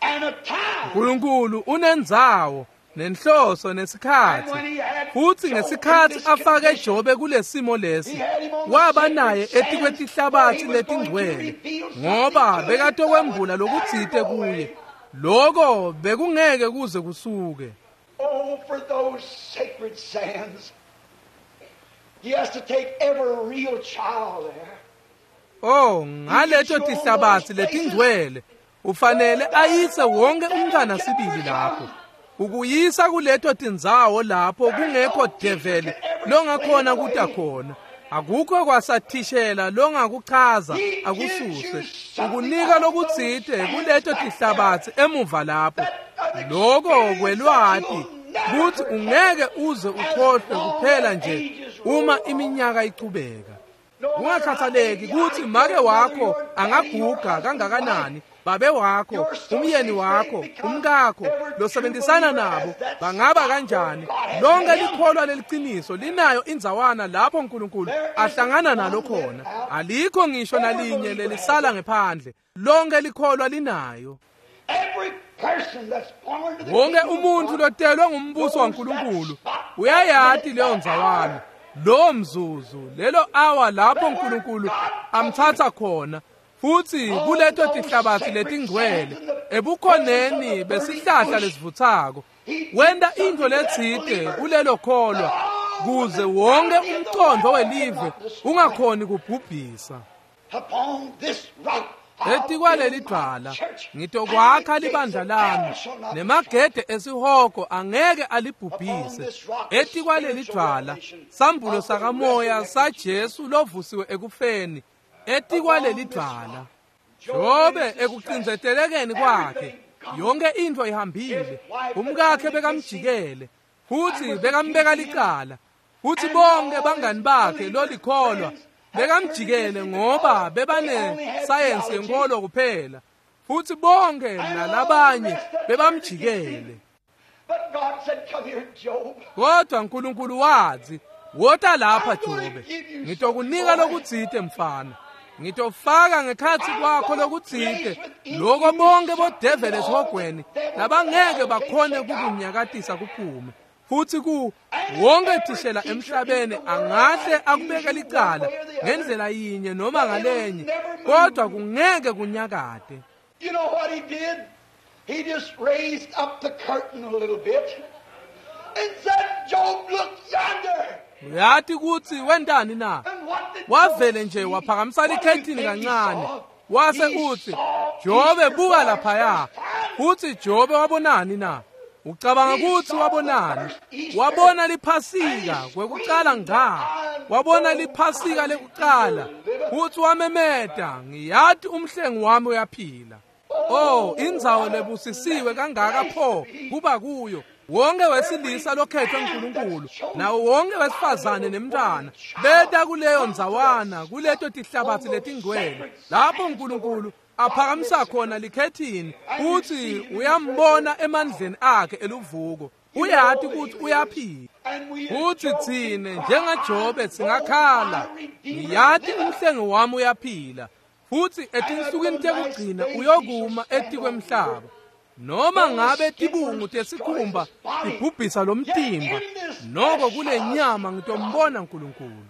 B: and a time.
A: uNkulunkulu unendzawo nenhloso nesikhathi. Futhi ngesikhathi afake Jobe kulesimo lesi, waba naye etikwetihlabathi letingcwele, ngoba bekatokwembula lokutsite kuye. Lokho bekungeke kuze kusuke.
B: Oh, for those sacred sands. He has to take every real child there.
A: Oh, ngaleto tihlabathi letingcwele ufanele ayise wonke umntwana sibili lapho. Ukuyisa kuleto tindzawo lapho kungekho develi longakhona kuta khona. Akukho kwasathishela longakuchaza akususe. Ukunika lokutsite kuleto tihlabathi emuva lapho. Lokho kwelwati kuthi ungeke uze ukhohlwe kuphela nje uma iminyaka ichubeka. Kungakhathaleki kutsi make wakho angaguga kangakanani, babe wakho, umyeni wakho, umkakho losebenzisana nabo bangaba kanjani, lonke likholwa leliciniso linayo indzawana lapho uNkulunkulu ahlangana nalo khona. Alikho ngisho nalinye lelisala ngephandle, lonke likholwa linayo.
B: Every person that's born to the
A: Wonke
B: kingdom of
A: umuntu
B: God
A: lotelwe ngumbuso waNkulunkulu uyayati leyo ndzawana, lowo mzuzu, lelo awa lapho uNkulunkulu amthatha khona futhi kuleto tihlabathi letingcwele ebukhoneni besihlahla lesivuthako, wenta intfo letsite kulelo kholwa kuze wonke umcondvo welive ungakhoni kubhubhisa.
B: Upon this rock I'll
A: Etikwaleli
B: build my
A: dvwala
B: church,
A: ngitokwakha
B: and the gates
A: libandla
B: of
A: lami,
B: hell shall not
A: nemagede esihogo angeke alibhubhise. Etikwaleli dvwala sambulo sakamoya saJesu lovusiwe ekufeni, etikwaleli dvwala. Jobe ekucindzetelekeni kwakhe yonke intfo ihambile, umkakhe bekamjikele futhi bekambeka licala, futhi bonke bangani bakhe lolikholwa bekamjikele ngoba bebane sayensi yenkolo kuphela, futhi bonke nalabanye bebamjikele.
B: But God said, "Come here, Job.
A: Kodwa uNkulunkulu wathi, wota lapha Jobe, ngitokunika lokutsite mfana, ngitofaka ngekhatsi kwakho lokutsite loko bonke bodeveli esihogweni labangeke bakhone kukunyakatisa kuphume. Futhi ku wonke thishela emhlabeni angahle akubeke licala ngendlela yinye noma ngalenye, kodwa kungeke kunyakate.
B: You know what he did? He just raised up the curtain a little bit and said, Job, look yonder.
A: Uyati kutsi wentani na?
B: And what did
A: Wavele
B: Job
A: nje
B: see?
A: waphakamisa
B: What do you
A: likhethini
B: think he
A: kancane
B: saw?
A: wase
B: He
A: utsi,
B: saw
A: Jobe
B: Easter
A: buka
B: for the
A: laphaya.
B: first time.
A: Futsi Jobe wabonani na? Ucabanga kutsi wabonani? Wabona liphasika kwekucala nga. Wabona liphasika lekucala futsi wamemeta, ngiyati umhlengi wami uyaphila. Oh, indzawo lebusisiwe kangaka pho kuba kuyo. Wonke wesilisa lokhethwe nguNkulunkulu nawo wonke wesifazane nemntwana beta kuleyo ndzawana, kuleto tihlabathi letingcwele lapho uNkulunkulu aphakamisa khona likhethini futhi uyambona emandleni akhe eluvuko. Uyati kutsi uyaphila.
B: And we
A: Futhi
B: as Job
A: tsine
B: can cry,
A: njengaJobe singakhala,
B: "Oh, my Redeemer
A: ngiyati
B: liveth."
A: umhlengi wami uyaphila, futhi etinsukwini tekugcina uyokuma etikwemhlaba. Noma ngabe tibungu tesikhumba tibhubhisa lo mtimba, noko kule nyama ngitombona uNkulunkulu.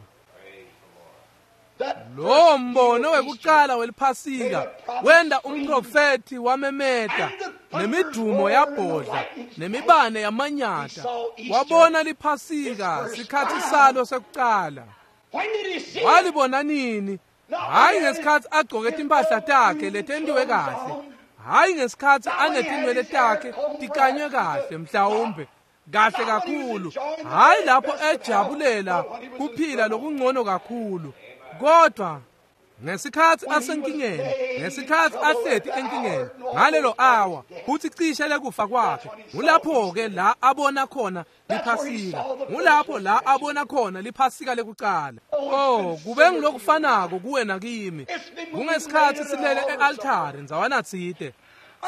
B: That
A: Lowo
B: first
A: mbono
B: meal of
A: wekucala weliphasika wenda umprofethi wamemeta, nemidumo yabhodla, nemibane yamanyata. Wabona liphasika sikhathi salo sekucala.
B: When did he see it?
A: Walibona nini? Hhayi ngesikhathi agcoke timpahla takhe letentiwe kahle, hhayi ngesikhathi anetinwele takhe tikanywe kahle, mhlawumbe kahle kakhulu, hhayi lapho ejabulela kuphila lokungcono kakhulu, kodwa Ngesikhatsi asenkingeni, ngesikhatsi ahleti enkingeni ngalelo awa futsi cishe lekufa kwakhe, ngulapho-ke la abona khona liphasika, ngulapho la abona khona liphasika lekucala. Oh, kube ngulokufanako kuwe nakimi. Kungesikhatsi silele e-altari ndzawana tsite,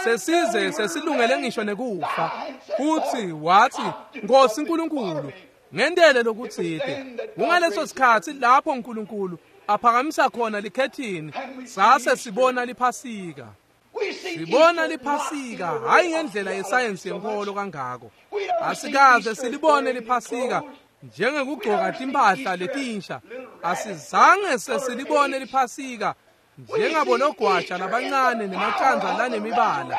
A: sesize sesilungele ngisho nekufa, futsi watsi, Nkosi Nkulunkulu, ngentele lokutsite. Kungaleso sikhatsi lapho Nkulunkulu aphakamisa khona likhethini, sase sibona liphasika. Sibona liphasika hayi ngendlela yesayensi yenkolo kangako. Asikaze silibone liphasika njengekugcoka timphahla letinsha. Asizange sesilibone liphasika njengabologwaja labancane nemacandza lanemibala.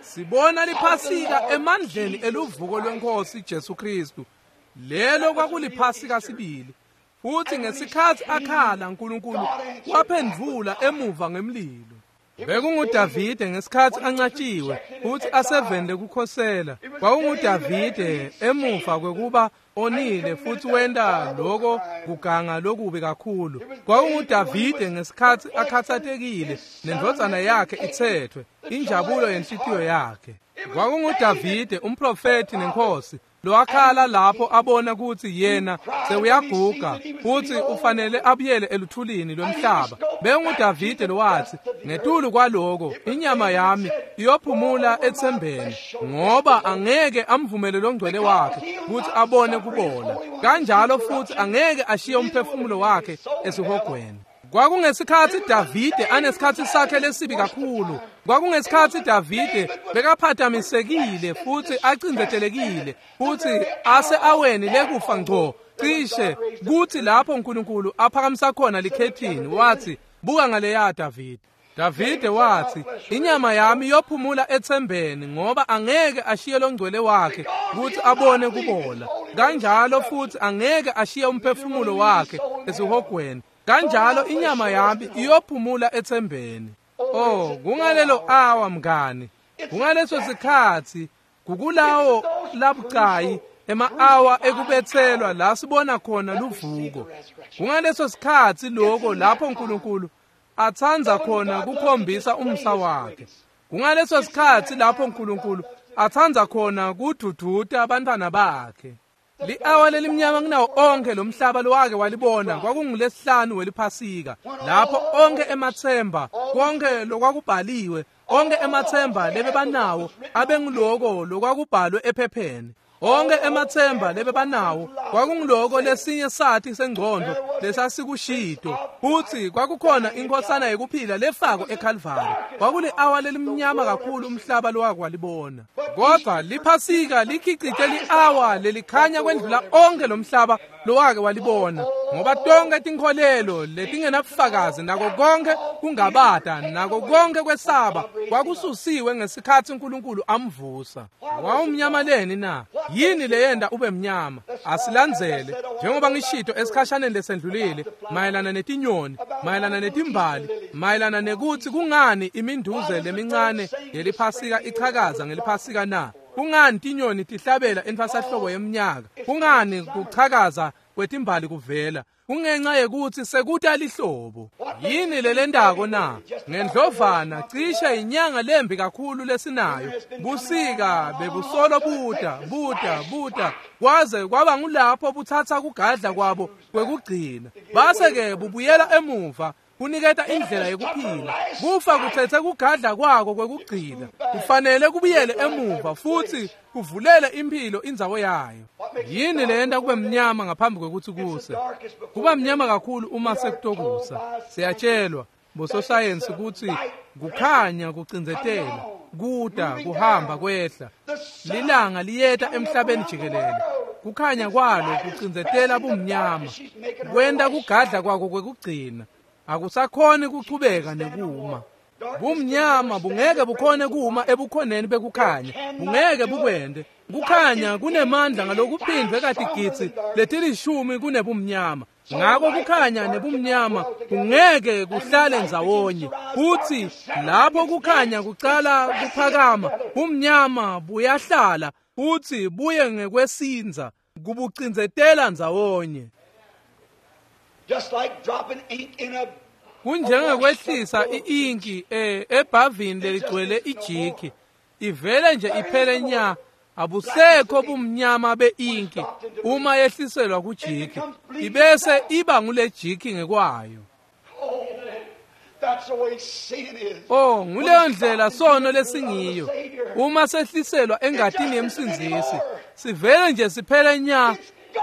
A: Sibona liphasika emandleni eluvuko lweNkosi Jesu Kristu. Lelo kwakuliphasika sibili. Futsi ngesikhatsi akhala, Nkulunkulu waphendvula emuva ngemlilo. BekunguDavide ngesikhatsi ancatshiwe futsi aseveni lekukhosela. KwakunguDavide emuva kwekuba onile futsi wenta loko kuganga lokubi kakhulu. KwakunguDavide ngesikhatsi akhatsatekile nendvodzana yakhe itsethwe, injabulo yenhlitiyo yakhe. KwakunguDavide umprofethi nenkosi lowakhala lapho abona kutsi yena sewuyaguga futsi ufanele abuyele eluthulini lwemhlaba. BenguDavide lowathi, ngetulu kwaloko inyama yami iyophumula ethembeni, ngoba angeke amvumele longcwele wakhe kutsi abone kubola, kanjalo futsi angeke ashiye umphefumulo wakhe esihogweni. Kwakungesikhatsi Davide anesikhatsi sakhe lesibi kakhulu. Kwakungesikhatsi Davide bekaphatamisekile futsi acindzetelekile futsi ase aweni lekufa ngco cishe, kutsi lapho Nkulunkulu aphakamisa khona likhethini wathi, buka ngaleya Davide. Davide wathi, inyama yami iyophumula ethembeni, ngoba angeke ashiye longcwele wakhe kutsi abone kubola, kanjalo futsi angeke ashiye umphefumulo wakhe esihogweni, kanjalo inyama yami iyophumula ethembeni. Oh, kungalelo awa mngani, kungaleso sikhatsi, kukulawo labucayi ema-awa ekubetselwa la sibona khona luvuko. Kungaleso sikhatsi loko lapho Nkulunkulu atsandza khona kukhombisa umsa wakhe. Kungaleso sikhatsi lapho Nkulunkulu atsandza khona kududuta abantwana bakhe. Li-awa lelimnyama kunawo onkhe lomhlaba lowake walibona kwakungulesihlanu weliphasika, lapho onkhe emathemba, konke lokwakubhaliwe, onkhe emathemba lebebanawo abenguloko lokwakubhalwe ephepheni. Onkhe emathemba lebebanawo kwakunguloko lesinye sathi sengcondvo lesasikushito, futsi kwakukhona inkhosana yekuphila lefako eKhalvari. Kwakuli-awa lelimnyama kakhulu umhlaba lowake walibona. Kodvwa liphasika likhicite li-awa lelikhanya kwendlula onkhe lomhlaba lowake walibona, ngoba tonke tinkholelo letingenabufakazi nako konke kungabata nako konke kwesaba kwakususiwe ngesikhatsi uNkulunkulu amvusa. Wawumnyama leni na? Yini leyenda ube mnyama? Asilandzele njengoba ngishito esikhashaneni lesendlulile mayelana netinyoni, mayelana netimbali, mayelana nekutsi kungani iminduze lemincane yeliphasika ichakaza ngeliphasika na? Kungani tinyoni tihlabela entfwasahlobo yeminyaka? Kungani kuchakaza kwetimbali kuvela? Kungenxa yekutsi sekuta lihlobo. Yini lelendako na? Ngendlovana cishe inyanga lembi kakhulu lesinayo. Busika bebusolo buta buta buta kwaze kwaba ngulapho butsatsa kugadla kwabo kwekugcina, base-ke bubuyela emuva kuniketa indlela yekuphila. Kufa kuthethe kugadla kwako kwekugcina, kufanele kubuyele emuva futsi kuvulele impilo indzawo yayo. Yini leyenta kube mnyama ngaphambi kwekutsi kuse? Kuba mnyama kakhulu uma sekutokusa. Siyatshelwa bososayensi kutsi kukhanya kucindzetela, kuta kuhamba kwehla. Lilanga liyeta emhlabeni jikelele. Kukhanya kwalo kucindzetela bumnyama, kwenta kugadla kwako kwekugcina. Akusakhoni kuchubeka nekuma. Bumnyama bungeke bukhone kuma ebukhoneni bekukhanya, bungeke bukwende. Kukhanya kunemandla ngalokuphindvwe katigidzi letilishumi kunebumnyama. Ngako kukhanya nebumnyama kungeke kuhlale ndzawonye. Futsi lapho kukhanya kucala kuphakama, bumnyama buyahlala futsi buye ngekwesindza, kubucindzetela ndzawonye.
B: Just like dropping ink in a
A: Kunjengekwehlisa i-inki ebhavini leligcwele ijiki, ivele nje iphele nya. Abusekho bumnyama be-inki uma yehliselwa kujiki, ibese iba ngule jiki ngekwayo. Oh, nguleyo ndlela sono lesingiyo. Uma sehliselwa engatini yemsindzisi, sivele nje siphele nya,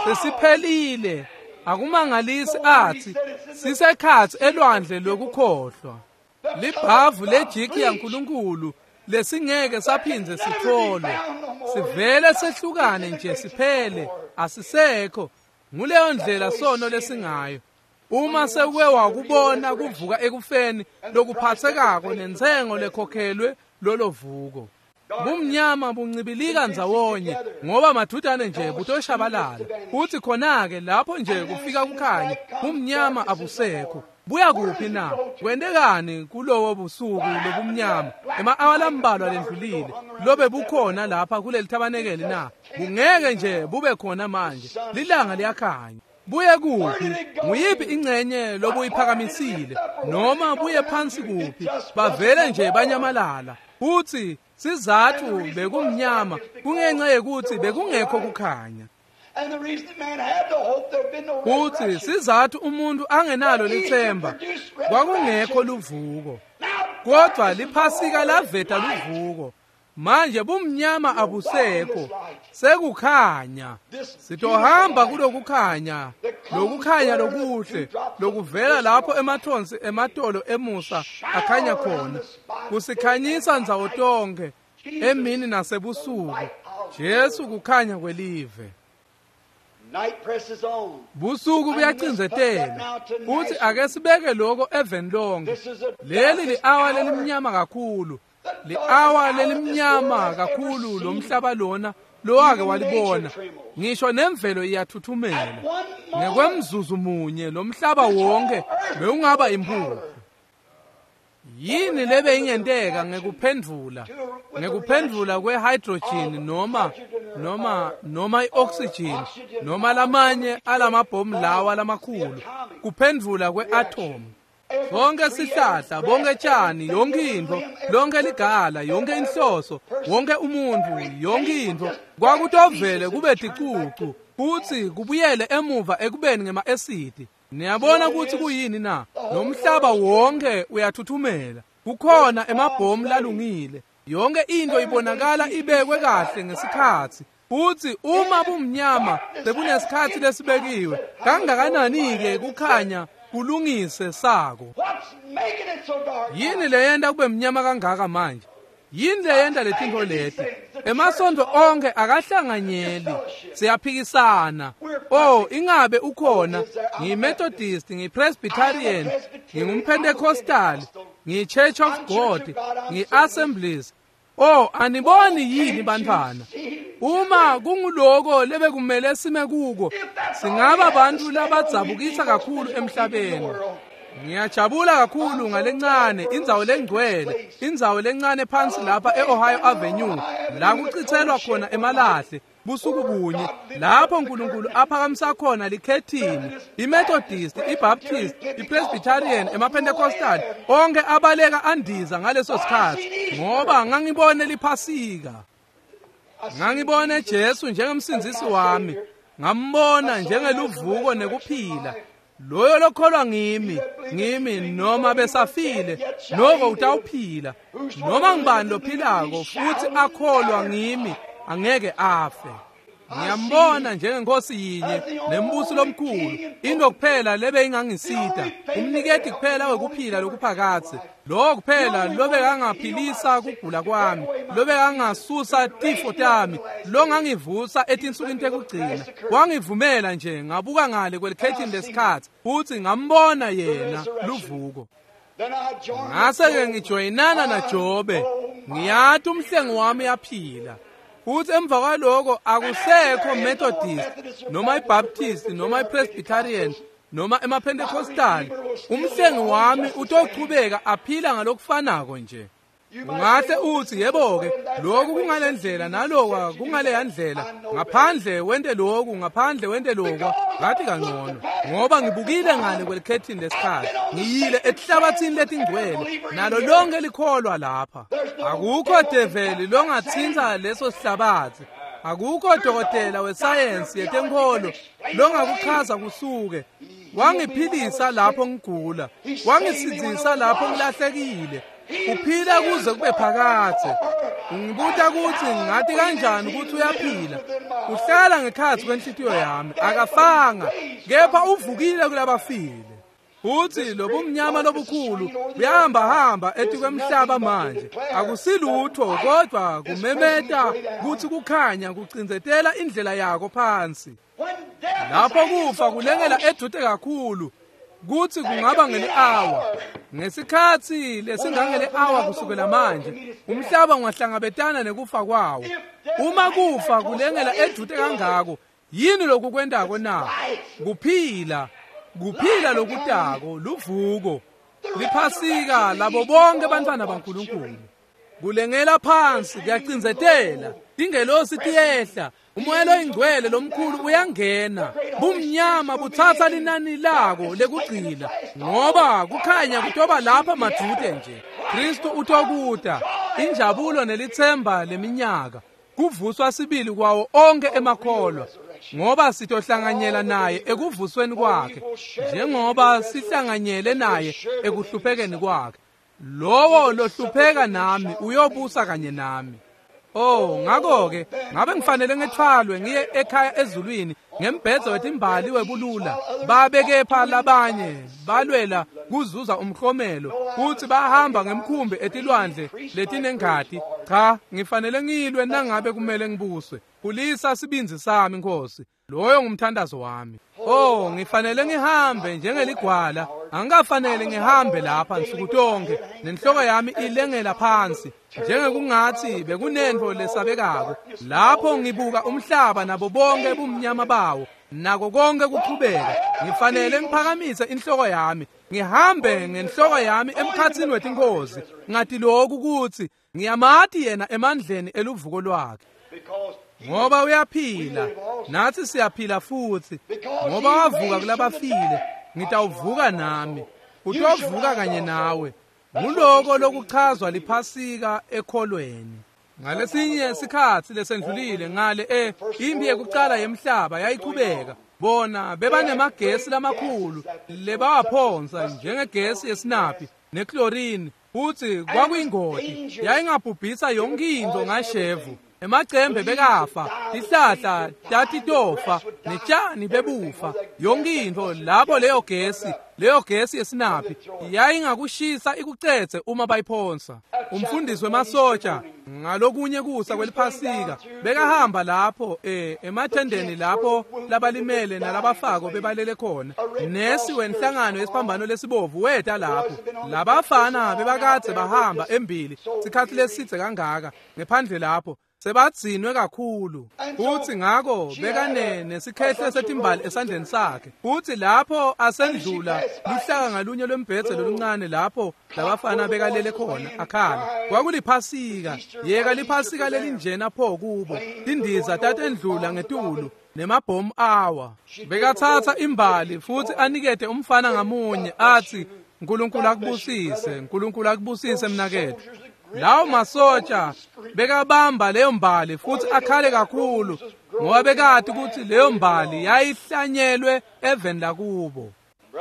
A: sesiphelile. Akumangalisi athi sisekhatsi elwandle lokukhohlwa. Libhavu lejiki yaNkulunkulu lesingeke saphindze sitholwe, sivele sehlukane nje siphele, asisekho. Nguleyo ndlela sono lesingayo. Uma sekuke wakubona kuvuka ekufeni lokuphathekako nentsengo lekhokhelwe lolo vuko, bumnyama buncibilika ndzawonye ngoba madudane nje butoshabalala. Futhi khona-ke lapho nje kufika kukhanya, bumnyama abusekho. Buya kuphi na? Kwentekani kulowo busuku lobumnyama ema-awa lambalwa lendlulile lobe bukhona lapha kuleli thabanekeli na? Bungeke nje bube khona manje. Lilanga liyakhanya. Buye kuphi? Nguyiphi ingcenye lobuyiphakamisile noma buye phansi kuphi? Bavele nje banyamalala. Futhi sizathu bekumnyama kungenxa yekuthi bekungekho kukhanya. Futhi sizathu umuntu angenalo lithemba kwakungekho luvuko. Kodwa liphasika laveta luvuko. Manje bumnyama abusekho, sekukhanya. Sitohamba kulokukhanya, lokukhanya lokuhle lokuvela lapho emathonsi ematolo emusa akhanya khona, kusikhanyisa ndzawo tonke emini nasebusuku. Jesu kukhanya kwelive. Busuku buyacindzetela. Futhi ake sibeke lokho eveni lonke. Leli li-awa lelimnyama kakhulu, li-awa lelimnyama kakhulu lomhlaba lona lowake walibona. Ngisho nemvelo iyathuthumela. Ngekwemzuzu munye lomhlaba wonke bewungaba impuphu. Yini lebe ingenteka ngekuphendvula ngekuphendvula kwe-hydrogen noma noma noma i-oxygen noma lamanye alamabhomu lawa lamakhulu, kuphendvula kwe-atom? Sonke sihlahla, bonke tshani, yonke intfo, lonke ligala, yonke inhloso, wonke umuntu, yonke intfo kwakutovele kube ticucu futsi kubuyele emuva ekubeni ngema-esidi. Niyabona ukuthi kuyini na? Nomhlaba wonke uyathuthumela. Kukhona emabhomu lalungile. Yonke into ibonakala ibekwe kahle ngesikhatsi. Futhi uma bumnyama sebunesikhatsi lesibekiwe, kangakanani-ke kukhanya kulungise sako? Yini leyenta kube mnyama kangaka manje? Yini leyenta letintfo leti? Emasontfo onke akahlanganyeli, siyaphikisana. Oh, ingabe ukhona? NgiyiMethodist, ngiyiPresbyterian, ngingumPentecostal, ngiyiChurch of God, ngiyi-Assemblies. Oh, aniboni yini bantfwana? Uma kunguloko lebekumele sime kuko, singaba bantfu labadzabukisa kakhulu emhlabeni. Ngiyajabula kakhulu ngalencane indzawo lengcwele, indzawo lencane phansi lapha e-Ohio Avenue, la kuchithelwa khona emalahle busuku bunye, lapho uNkulunkulu aphakamisa khona likhethini, iMethodist, iBaptist, iPresbyterian, emaPentecostal, onke abaleka andiza ngaleso sikhatsi, ngoba ngangibone liphasika. Ngangibone Jesu njengemsindzisi wami, ngambona njengeluvuko nekuphila. Loyo lokholwa ngimi, ngimi noma besafile, noko utawuphila. Noma ngibani lophilako futhi akholwa ngimi, angeke afe. Ngiyambona njengenkosi yinye nembusi lomkhulu, into kuphela lebe ingangisita, umniketi kuphela wekuphila lokuphakadze, lo kuphela lobekangaphilisa kugula kwami, lobekangasusa tifo tami, longangivusa etinsukwini tekugcina. Wangivumela nje ngabuka ngale kwelikhethini lesikhatsi futhi ngambona yena luvuko. Ngase-ke ngijoyinana naJobe, ngiyati umhlengi wami uyaphila. Futhi emva kwaloko akusekho Methodist noma iBaptist noma iPresbyterian noma emaPentecostal. Umhlengi wami utochubeka aphila ngalokufanako nje. Ungahle uthi yebo-ke lokhu kungalendlela nalokwa kungaleya ndlela, ngaphandle wente lokhu, ngaphandle wente lokwa, ngathi kangcono ngoba ngibukile ngale kwelikhethini lesikhathi, ngiyile etihlabathini letingcwele nalo lonke likholwa lapha. Akukho develi longatsintsa leso sihlabathi, akukho dokotela wesayensi yetenkholo longakuchaza kusuke. Wangiphilisa lapho ngigula, wangisindzisa lapho ngilahlekile, uphila kuze kube phakadze. Ungibuta ukuthi ngathi kanjani ukuthi uyaphila. Uhlala ngekhatsi kwenhlitiyo yami, akafanga kepha uvukile kulabafile. Uthi lobumnyama lobukhulu buyahamba-hamba etikwemhlaba manje, akusilutho kodwa kumemeta kutsi kukhanya kucindzetela indlela yako phansi. Lapho kufa kulengela edvute kakhulu kutsi kungaba ngeli-awa. Ngesikhatsi lesingangeli-awa kusukela manje, umhlaba ungahlangabetana nekufa kwawo. Uma kufa kulengela edvute kangako, yini lokukwentako na? Kuphila, kuphila lokutako, luvuko, liphasika labo bonke bantfwana baNkulunkulu. Kulengela phansi kuyacindzetela, tingelosi tiyehla, umoya loyingcwele lomkhulu uyangena, bumnyama butsatsa linani lako lekugcina, ngoba kukhanya kutoba lapha madvute nje. Kristu utokuta, injabulo nelitsemba leminyaka, kuvuswa sibili kwawo onke emakholwa, ngoba sitohlanganyela naye ekuvusweni kwakhe, njengoba sihlanganyele naye ekuhluphekeni kwakhe. Lowo lohlupheka nami uyobusa kanye nami. Oh, ngakho-ke ngabe ngifanele ngethwalwe ngiye ekhaya ezulwini ngembhedzo wetimbali webulula, babe kepha labanye balwela kuzuza umklomelo futhi bahamba ngemkhumbi etilwandle letinengati. Cha, ngifanele ngilwe nangabe kumele ngibuswe. Khulisa sibindzi sami Nkosi, loyo ngumthandazo wami. Oh, ngifanele ngihambe njengeligwala, angikafanele ngihambe lapha nsuku tonke nenhloko yami ilengela phansi njengekungathi bekunento lesabekako. Lapho ngibuka umhlaba nabo bonke bumnyama bawo nako konke kuchubeka, ngifanele ngiphakamise inhloko yami, ngihambe ngenhloko yami emkhatsini wetinkozi, ngati lokhu kutsi ngiyamati yena emandleni eluvuko lwakhe. Ngoba uyaphila, nathi siyaphila futhi. Ngoba wavuka kulabafile, ngitawuvuka nami, utovuka kanye nawe. Nguloko lokuchazwa liphasika ekholweni. Ngalesinye sikhatsi lesendlulile ngale e impi yekucala yemhlaba yayichubeka, bona bebanemagesi lamakhulu lebawaphonsa njengegesi yesinaphi nechlorine, futsi kwakuyingoti, yayingabhubhisa yonke intfo ngashevu. Emacembe bekafa, tihlahla tatitofa, netjani bebufa, yonke intfo lapho leyo gesi, leyo gesi yesinaphi yayingakushisa ikucedze uma bayiphonsa. Umfundisi wemasotsha ngalokunye kusa kweliphasika bekahamba lapho eh emathendeni lapho labalimele nalabafako bebalele khona. Nesi wenhlangano yesiphambano lesibovu weta lapho. Labafana bebakadze bahamba embili sikhatsi lesidze kangaka ngephandle lapho, sebadzinwe kakhulu. Futhi ngako bekane nesikhehle setimbali esandleni sakhe. Futhi lapho asendlula luhlaka ngalunye lwembhedze loluncane lapho labafana bekalele khona akhala. Kwakuliphasika, yeka liphasika lelinjena pho kubo. Tindiza tatendlula ngetulu nemabhomu awa. Bekathatha imbali futhi anikete umfana ngamunye athi, "Nkulunkulu akubusise, Nkulunkulu akubusise mnaketfu." Lawo masotsha bekabamba leyo mbali futhi akhale kakhulu ngoba bekati ukuthi leyo mbali yayihlanyelwe eveni lakubo.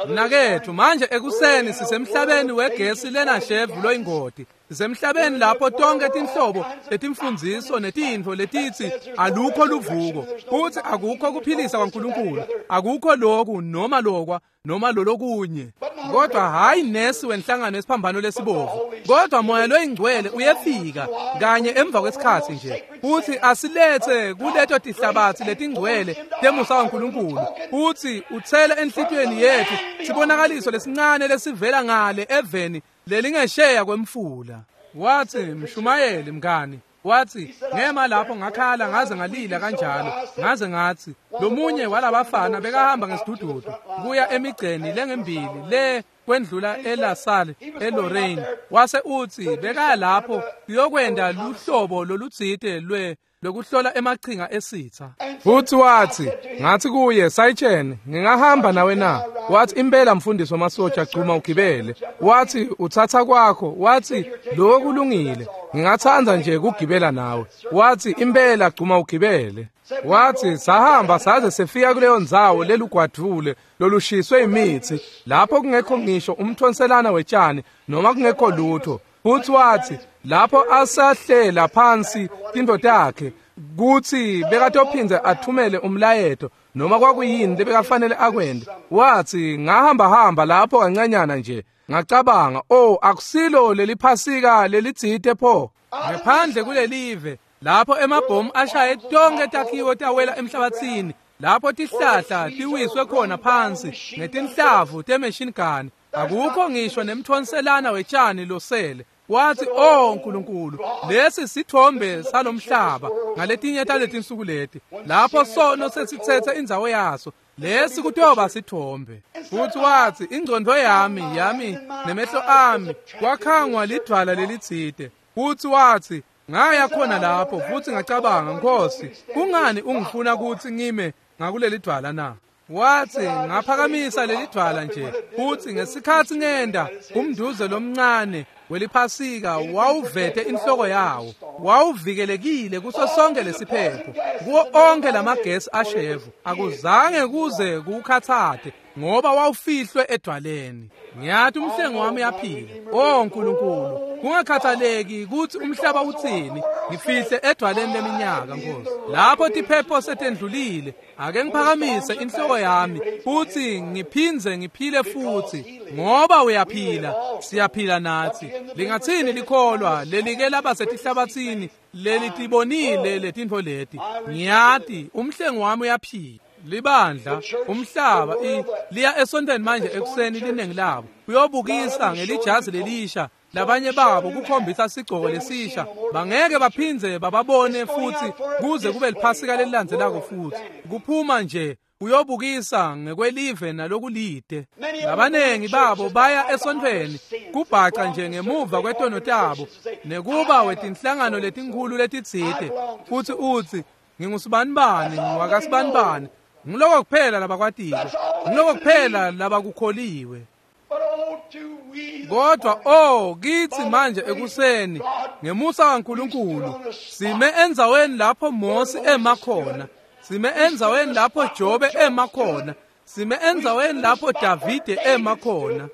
A: Mnaketfu, manje ekuseni sisemhlabeni wegesi lenashevu loyingoti. Sisemhlabeni lapho tonke tinhlobo letimfundziso netintfo letitsi alukho luvuko, futhi akukho kuphilisa kwaNkulunkulu, akukho lokhu noma lokwa noma lolokunye. Kodwa hayi nesi wenhlangano yesiphambano lesibovu, kodwa moya loyingcwele uyefika kanye emva kwesikhatsi nje futhi asilethe kuleto tihlabathi letingcwele temusa waNkulunkulu, futhi uthele enhlitiyweni yethu sibonakaliso lesincane lesivela ngale eveni lelingesheya kwemfula. Wathi, "Mshumayeli mngani," wathi, "ngema lapho ngakhala ngaze ngalila kanjalo, ngaze ngathi lomunye walabafana bekahamba ngesidududu kuya emigceni lengembili le kwendlula eLaSalle eLorraine. Wase utsi bekaya lapho kuyokwenta luhlobo lolutsite lwe lokuhlola emachinga esitha. Futhi wathi, ngathi kuye, Sayitsheni, ngingahamba nawe na? Wathi, impela mfundisi wamasotsha, gcuma ugibele. Wathi, uthatha kwakho. Wathi, lokho kulungile, ngingathanda nje ukugibela nawe. Wathi, impela gcuma ugibele. Wathi, sahamba saze sefika kuleyo ndzawo lelugwadvule lolushiswe imithi, lapho kungekho ngisho umthonselana wetshani noma kungekho lutho. Futhi wathi, lapho asahlela phansi tintfo takhe kutsi bekatophindze athumele umlayeto noma kwakuyini lebekafanele akwente. Wathi, ngahamba hamba lapho kancanyana nje, ngacabanga, oh, akusilo leliphasika lelitsite pho. Ngaphandle kulelive lapho emabhomu ashaye tonke takhiwo tawela emhlabathini, lapho tihlahla tiwiswe khona phansi ngetinhlavu te-machine gun, akukho ngisho nemthonselana wetshani losele. Wathi, oh Nkulunkulu, lesi sithombe salomhlaba ngaletinye taletinsuku leti, lapho sono sesithethe indzawo yaso, lesi kutoba sithombe. Futhi wathi, ingcondo yami yami nemehlo ami kwakhangwa lidvwala lelitsite. Futhi wathi, ngaya khona lapho futhi ngacabanga, Nkosi, kungani ungifuna kutsi ngime ngakuleli dvwala na? Wathi, ngaphakamisa leli dvwala nje, futhi ngesikhatsi ngenda umnduze lomncane weliphasika wawuvete inhloko yawo, wawuvikelekile kuso sonke lesiphepho, kuwo onke lamagesi ashevu, akuzange kuze kukhathate ngoba wawufihlwe edwaleni. Ngiyathi umhlengi wami uyaphila. Oh Nkulunkulu, kungakhathaleki kutsi umhlaba utsini, ngifihle edwaleni leminyaka, Nkosi. Lapho tiphepho setendlulile, ake ngiphakamise inhloko yami futhi ngiphindze ngiphile futhi, ngoba uyaphila, siyaphila nathi. Lingathini likholwa lelike laba setihlabathini lelitibonile letintfo leti? Ngiyati umhlengi wami uyaphila. Libandla, umhlaba, liya esontweni manje ekuseni linengi labo uyobukisa ngelijazi lelisha, labanye babo kukhombisa sigcoko lesisha, bangeke baphindze bababone futhi kuze kube liphasika lelilandzelako futhi. Kuphuma nje uyobukisa ngekwelive nalokulide. Labanengi babo baya esontweni kubhaca nje ngemuva kwetono tabo nekuba wetinhlangano letinkhulu letitsite, futhi utsi, ngingusibanibani, ngiwakasibanibani. Ngiloko kuphela labakwatile, ngiloko kuphela labakukholiwe. Kodwa oh kithi manje ekuseni ngemusa kaNkulunkulu sime endzaweni lapho Mose ema khona, sime endzaweni lapho Jobe ema khona, sime endzaweni lapho Davide ema khona.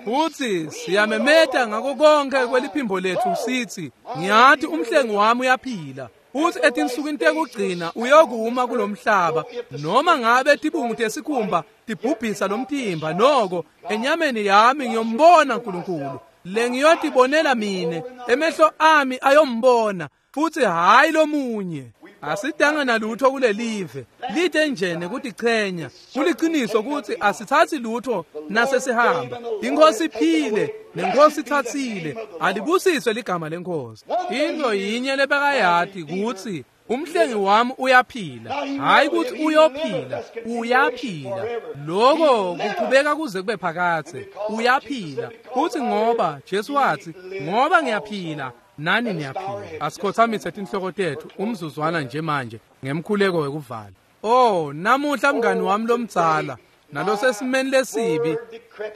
A: Futhi siyamemeta ngako konke kweliphimbo lethu sithi, ngiyathi umhlengi wami uyaphila. Futhi etinsukwini tekugcina uyokuma kulomhlaba, noma ngabe tibungu tesikhumba tibhubhisa lomtimba, noko enyameni yami ngiyombona uNkulunkulu. Lengiyotibonela mine, emehlo ami ayombona, futhi hayi lomunye. Asidanga nalutho kulelive, lide nje nekutichenya. Kuliciniso ukuthi asithathi lutho nasesihamba. Inkosi iphile nenkosi ithathile, alibusiswe ligama lenkosi. Into yinye lebekayati kutsi umhlengi wami uyaphila, hayi ukuthi uyophila, uyaphila. Lokho kuqhubeka kuze kube phakathe, uyaphila. Futhi ngoba Jesu wathi, ngoba ngiyaphila nani niyaphila. Asikhothamise tinhloko tethu umzuzwana nje manje ngemkhuleko wekuvala. Oh, namuhla mngani wami lomdzala nalosesimeni lesibi,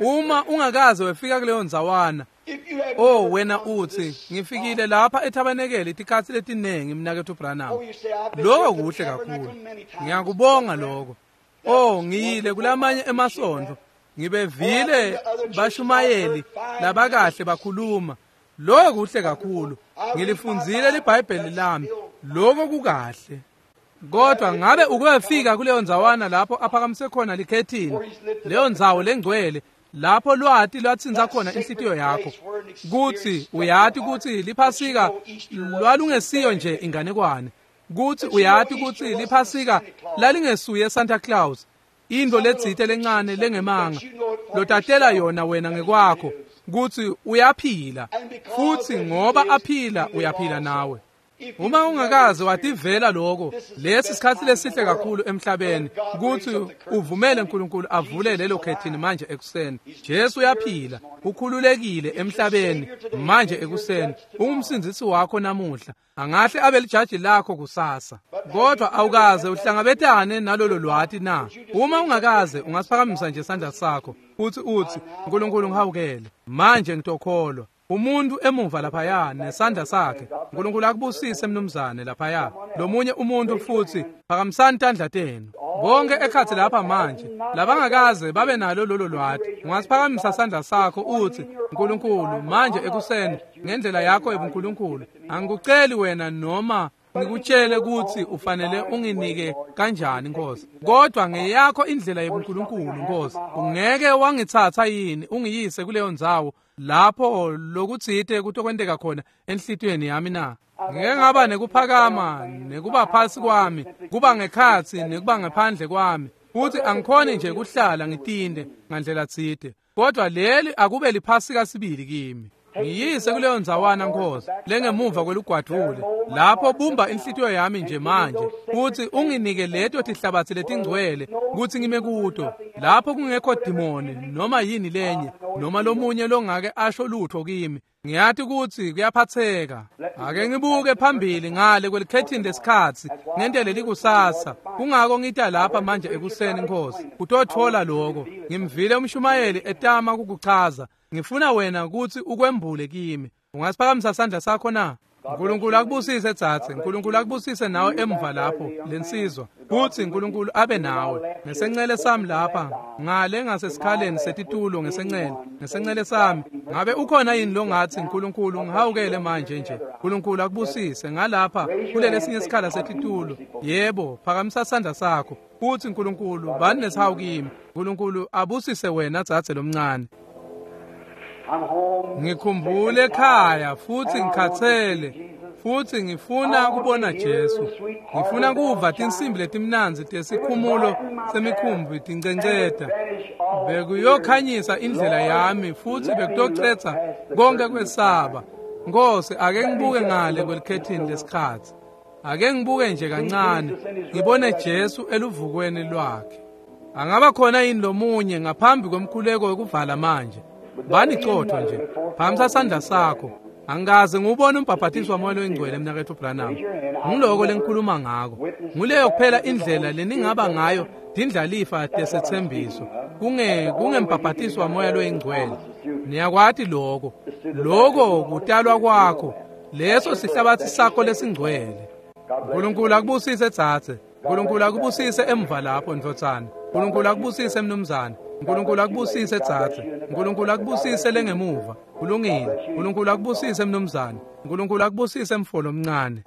A: uma ungakaze wefika kuleyo ndzawana, oh wena uthi, ngifikile lapha ethabanekele itikhatsi letinengi mnaketfu Branham. Lokho kuhle kakhulu, ngiyakubonga lokho. Oh, ngiyile kulamanye emasontfo, ngibevile bashumayeli labakahle bakhuluma. Lokho kuhle kakhulu, ngilifundzile liBhayibheli lami, lokho kukahle. Kodwa ngabe ukuyofika kuleyo ndzawana lapho aphakamise khona likhethini, leyo ndzawo lengcwele, lapho lwati lwatsintsa khona inhlitiyo yakho, kutsi uyati kutsi liphasika lwalungesiyo nje inganekwane, kutsi uyati kutsi liphasika lalingesuye Santa Claus, into letsite lencane lengemanga lotatela yona wena ngekwakho, kutsi uyaphila, futhi ngoba aphila uyaphila nawe. Uma ungakaze wativela lokho, lesi sikhathi lesihle kakhulu emhlabeni ukuthi uvumele uNkulunkulu avule lelo khethini manje ekuseni. Jesu uyaphila, ukhululekile emhlabeni manje ekuseni. Ungumsindisi wakho namuhla, angahle abe lijaji lakho kusasa. Kodwa awukaze uhlangabetane nalolo lwati na? Uma ungakaze, ungasiphakamisa nje isandla sakho uthi uthi uNkulunkulu ngihawukele manje, ngitokholwa. Umuntu emuva laphaya nesandla sakhe, uNkulunkulu akubusise mnumzane laphaya. Lomunye umuntu futhi, phakamisani tandla tenu bonke ekhathi lapha manje labangakaze babe nalo lolo lwati. Ungasiphakamisa sandla sakho uthi uNkulunkulu manje ekuseni ngendlela yakho ebuNkulunkulu, angikuceli wena noma ngikutshele ukuthi ufanele unginike kanjani Nkosi, kodwa ngeyakho indlela yebuNkulunkulu Nkosi, ungeke wangithatha yini ungiyise kuleyo ndzawo lapho lokutsite kutokwenteka khona enhlitiyweni yami na? Ngeke ngaba nekuphakama nekuba phasi kwami, kuba ngekhatsi nekuba ngaphandle kwami, futhi angikhoni nje kuhlala ngitinde ngandlela tsite, kodwa leli akube liphasika sibili kimi. Ngiyise kuleyo ndzawana Nkosi lengemuva kwelugwadvule, lapho bumba inhlitiyo yami nje manje futhi unginike leto tihlabatsi letingcwele kutsi ngime kuto, lapho kungekho dimoni noma yini lenye noma lomunye longake asho lutho kimi. Ngiyati kutsi kuyaphatheka. Ake ngibuke phambili ngale kwelikhethini lesikhatsi ngentele likusasa. Kungako ngita lapha manje ekuseni Nkosi kutothola lokho. Ngimvile umshumayeli etama kukuchaza, ngifuna wena kutsi ukwembule kimi. Ungasiphakamisa sandla sakho na? uNkulunkulu akubusise tsatse, uNkulunkulu akubusise nawe emva lapho lensizwa, kutsi uNkulunkulu abe nawe. Ngesencele sami lapha ngale ngasesikhaleni setitulo, ngesencele ngesencele sami, ngabe ukhona yini longathi uNkulunkulu ngihawukele manje nje? uNkulunkulu akubusise ngalapha kulele sinye isikhala setitulo. Yebo, phakamisa sandla sakho kutsi uNkulunkulu bani nesihawu kimi. uNkulunkulu abusise wena tsatse lomncane. Ngikhumbule ekhaya futhi ngikhathele, futhi ngifuna kubona Jesu. Ngifuna kuva tinsimbi letimnandzi tesikhumulo semikhumbi tincenceta. Bekuyokhanyisa indlela yami futhi bekutocetha konke kwesaba. Nkosi, ake ngibuke ngale kwelikhethini lesikhatsi. Ake ngibuke nje kancane, ngibone Jesu eluvukweni lwakhe. Angaba khona yini lomunye ngaphambi kwemkhuleko wekuvala manje? Bani cotho nje, phakamisa sandla sakho. Angikaze ngiwubone umbhaphathiso waMoya loyiNgcwele mnaketfu Branham. Ngiloko lengikhuluma ngako. Nguleyo kuphela indlela leningaba ngayo tindlalifa tesethembiso, kunge kungembhaphathiso waMoya loyiNgcwele. Niyakwati lokho. Lokho kutalwa kwakho, leso sihlabathi sakho lesingcwele. uNkulunkulu akubusise tsatse. uNkulunkulu akubusise emva lapho ndvodzana. uNkulunkulu akubusise mnumzane. uNkulunkulu akubusise tsatse. uNkulunkulu akubusise lengemuva. Kulungile. uNkulunkulu akubusise mnumzane. uNkulunkulu akubusise mfolo omncane.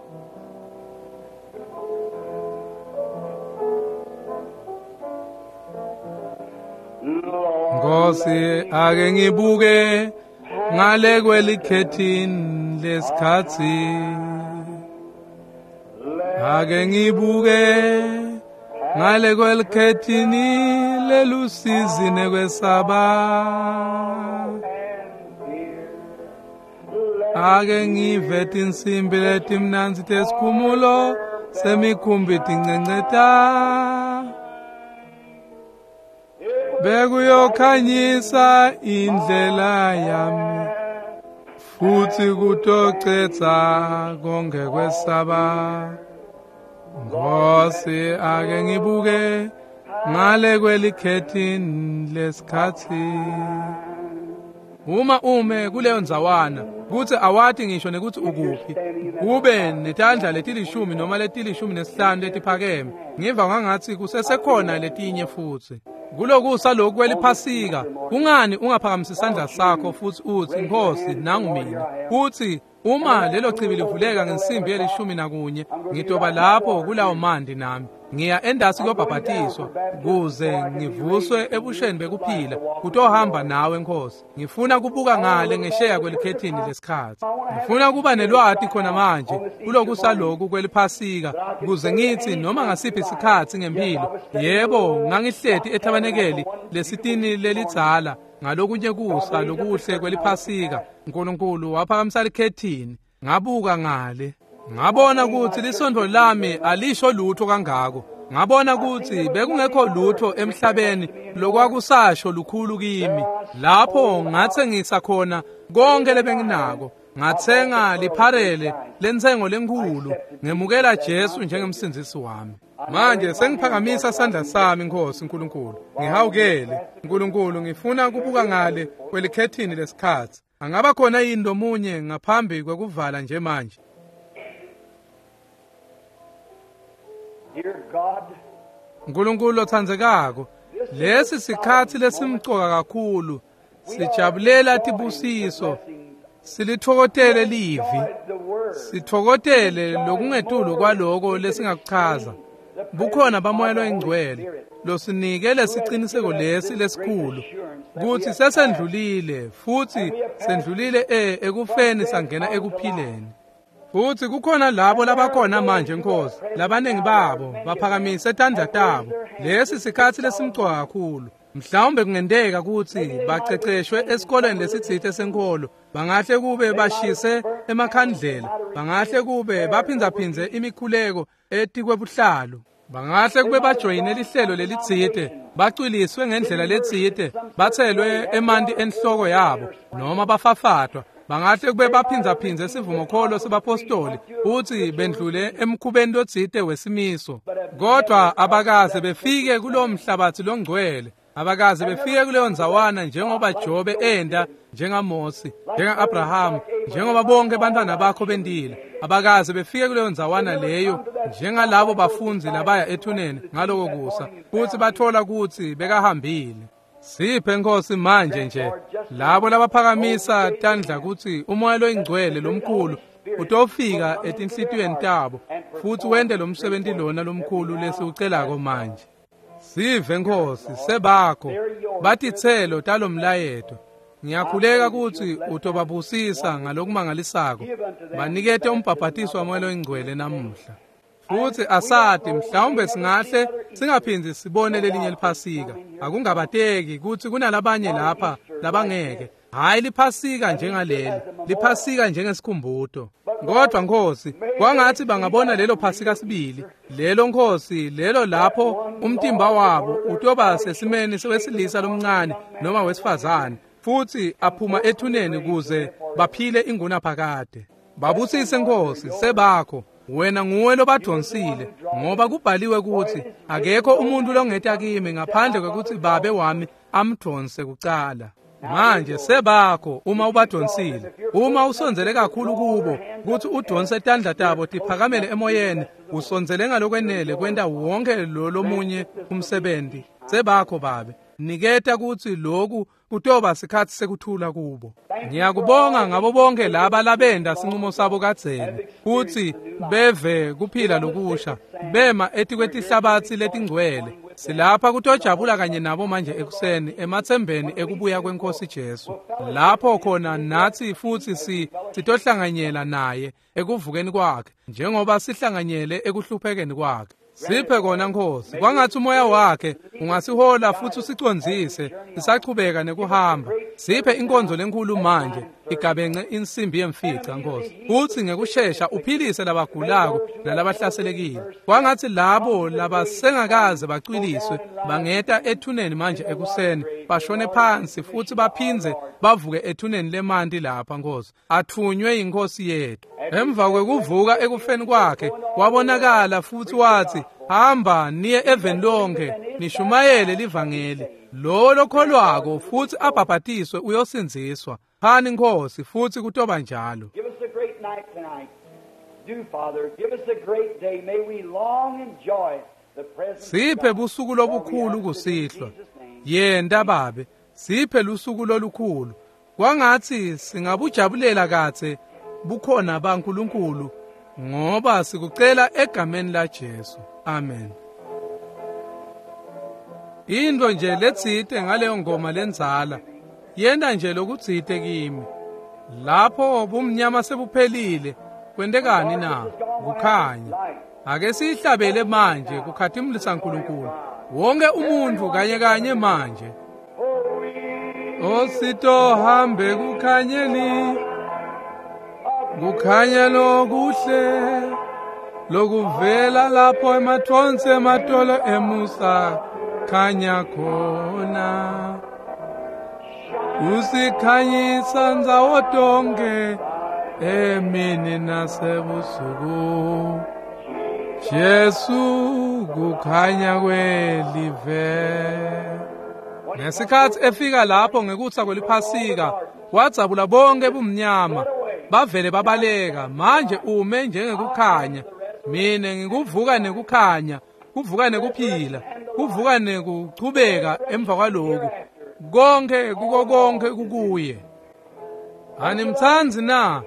A: Nkosi, ake ngibuke ngale kwelikhethini lesikhatsi. Ake ngibuke ngale kwelikhethini lelusizi nekwesaba. Ake ngive tinsimbi letimnandzi tesikhumulo semikhumbi tincenceta. Bekuyokhanyisa indlela yami futhi kutocetha konke kwesaba. Nkosi, ake ngibuke ngale kwelikhethini lesikhatsi. Uma ume kuleyo ndzawana kutsi awati ngisho nekuthi ukuphi, kube netandla letilishumi noma letilishumi nesihlanu letiphakeme, ngiva ngangatsi kusesekhona letinye futsi. Kulokusa lokhu kweliphasika, kungani ungaphakamisi isandla sakho futhi uthi Nkosi, nangu mina? Uthi uma lelo chibi livuleka ngensimbi yelishumi nakunye, ngitoba lapho kulawo mandi nami. Ngiya endasi kuyobhabhatiswa kuze ngivuswe ebusheni bekuphila kutohamba nawe Nkosi. Ngifuna kubuka ngale ngesheya kwelikhethini lesikhatsi. Ngifuna kuba nelwati khona manje kulokusa lokhu kweliphasika kuze ngithi noma ngasiphi isikhatsi ngempilo, yebo, ngangihleti ethabanekeli lesitini lelidzala ngalokunye kusa lokuhle kweliphasika. uNkulunkulu waphakamisa likhethini, ngabuka ngale. Ngabona kutsi lisontfo lami alisho lutho kangako. Ngabona kutsi bekungekho lutho emhlabeni lokwakusasho lukhulu kimi. Lapho ngatsengisa khona konke lebenginako. Ngatsenga lipharele lentsengo lenkhulu, ngemukela Jesu njengemsindzisi wami. Manje sengiphakamisa sandla sami, Nkosi Nkulunkulu. Ngihawukele, Nkulunkulu, ngifuna kubuka ngale kwelikhethini lesikhatsi. Angaba khona yini lomunye ngaphambi kwekuvala nje manje?
B: Dear God,
A: Nkulunkulu lotsandzekako, lesi sikhatsi lesimcoka kakhulu. Sijabulela tibusiso, silitfokotele livi, sitfokotele lokungetulu kwaloko lesingakuchaza. Bukhona baMoya loyiNgcwele losinike lesiciniseko lesi lesikhulu kutsi sesendlulile, futsi sendlulile e ekufeni sangena ekuphileni. Futsi kukhona labo labakhona manje, Nkosi, labaningi babo baphakamise tandla tabo. Lesi sikhatsi lesimcoka kakhulu. Mhlawumbe kungenteka kutsi baceceshwe esikoleni lesitsite senkholo, bangahle kube bashise emakhandlela, bangahle kube baphindzaphindze imikhuleko etikwebuhlalu, bangahle kube bajoyine lihlelo lelitsite, bacwiliswe ngendlela letsite, batselwe emanti enhloko yabo noma bafafatwa. Bangahle kube baphindzaphindze sivumokholo sebapostoli futsi bendlule emkhubeni lotsite wesimiso, kodwa abakaze befike kulowo mhlabatsi longcwele, abakaze befike kuleyo ndzawana njengoba Jobe enda, njengaMosi, njenga-Abrahamu, njengoba bonke bantwana bakho bendile. Abakaze befike kuleyo ndzawana leyo njengalabo bafundzi labaya ethuneni ngaloko kusa futsi bathola kutsi bekahambile. Siphe, Nkosi, manje nje labo labaphakamisa tandla kutsi uMoya loyiNgcwele lomkhulu utofika etinhlitiyweni tabo futsi wente lo msebenti lona lomkhulu lesiwucelako manje. Sive, Nkosi, sebakho batitselo talomlayeto. Ngiyakhuleka kutsi utobabusisa ngalokumangalisako, banikete umbhabhatiso waMoya loyiNgcwele namuhla. Futsi asati, mhlawumbe singahle singaphindzi sibone lelinye liphasika. Akungabateki kutsi kunalabanye lapha labangeke. Hhayi liphasika njengaleli, liphasika njengesikhumbuto. Kodwa Nkosi, kwangatsi bangabona lelo phasika sibili, lelo Nkosi, lelo lapho umtimba wabo utoba sesimeni wesilisa lomncane noma wesifazane, futsi aphuma ethuneni kuze baphile ingunaphakade. Babusise, Nkosi, sebakho. Wena nguwe lobadvonsile, ngoba kubhaliwe kutsi akekho umuntu longeta kimi ngaphandle kwekutsi Babe wami amdvonse kucala. Manje sebakho uma ubadvonsile, uma usondzele kakhulu kubo kutsi udvonse tandla tabo tiphakamele emoyeni, usondzele ngalokwenele kwenta wonke lo lomunye umsebenti. Sebakho, Babe, niketa kutsi loku kutoba sikhatsi sekuthula kubo. Ngiyakubonga ngabo bonke laba labenda sinqumo sabo kadzeni kutsi beve kuphila lokusha, bema etikwetihlabatsi letingcwele. Silapha kutojabula kanye nabo manje ekuseni ematsembeni ekubuya kweNkosi Jesu, lapho khona natsi futsi si sitohlanganyela naye ekuvukeni kwakhe njengoba sihlanganyele ekuhluphekeni kwakhe. Siphe kona, Nkosi, kwangatsi umoya wakhe ungasihola futsi usicondzise sisachubeka nekuhamba. Siphe inkonzo lenkhulu manje igabence insimbi yemfica, Nkosi, futsi ngekushesha uphilise labagulako nalabahlaselekile. Kwangatsi labo labasengakaze bacwiliswe bangeta ethuneni manje ekuseni, bashone phansi futsi baphindze bavuke ethuneni lemanti lapha, Nkosi, athunywe yiNkosi yethu. Emva kwekuvuka ekufeni kwakhe wabonakala futsi watsi, hamba niye eveni lonke nishumayele livangeli. Lowo lokholwako futsi abhabhatiswe uyosindziswa. Phani, Nkosi, futsi kutoba njalo.
B: Give us a great night tonight. Do, Father, give us a great day. May we long enjoy the presence of
A: Siphe
B: God.
A: busuku lobukhulu kusihlwa. Yenta, Babe, siphe lusuku lolukhulu. Kwangatsi singabujabulela katse bukhona baNkulunkulu, ngoba sikucela egameni la Jesu. Amen. Into nje letsite ngaleyo ngoma lendzala yenta nje lokutsite kimi. Lapho bumnyama sebuphelile, kwentekani na? Kukhanya. Ake siyihlabele manje kukhatimulisa Nkulunkulu. Wonke umuntu kanye kanye manje. Ositohambe kukhanyeni Kukhanya lokuhle lokuvela lapho emathonsi ematolo emusa khanya khona. Usikhanyisa ndzawo tonke emini nasebusuku. Jesu kukhanya kwelive. Ngesikhathi efika lapho ngekutsa kweliphasika wadzabula bonke bumnyama bavele babaleka. Manje ume njengekukhanya. Mine ngikuvuka nekukhanya, kuvuka nekuphila, kuvuka nekuchubeka emva kwaloku. Konke kuko konke kukuye. Animtsandzi na?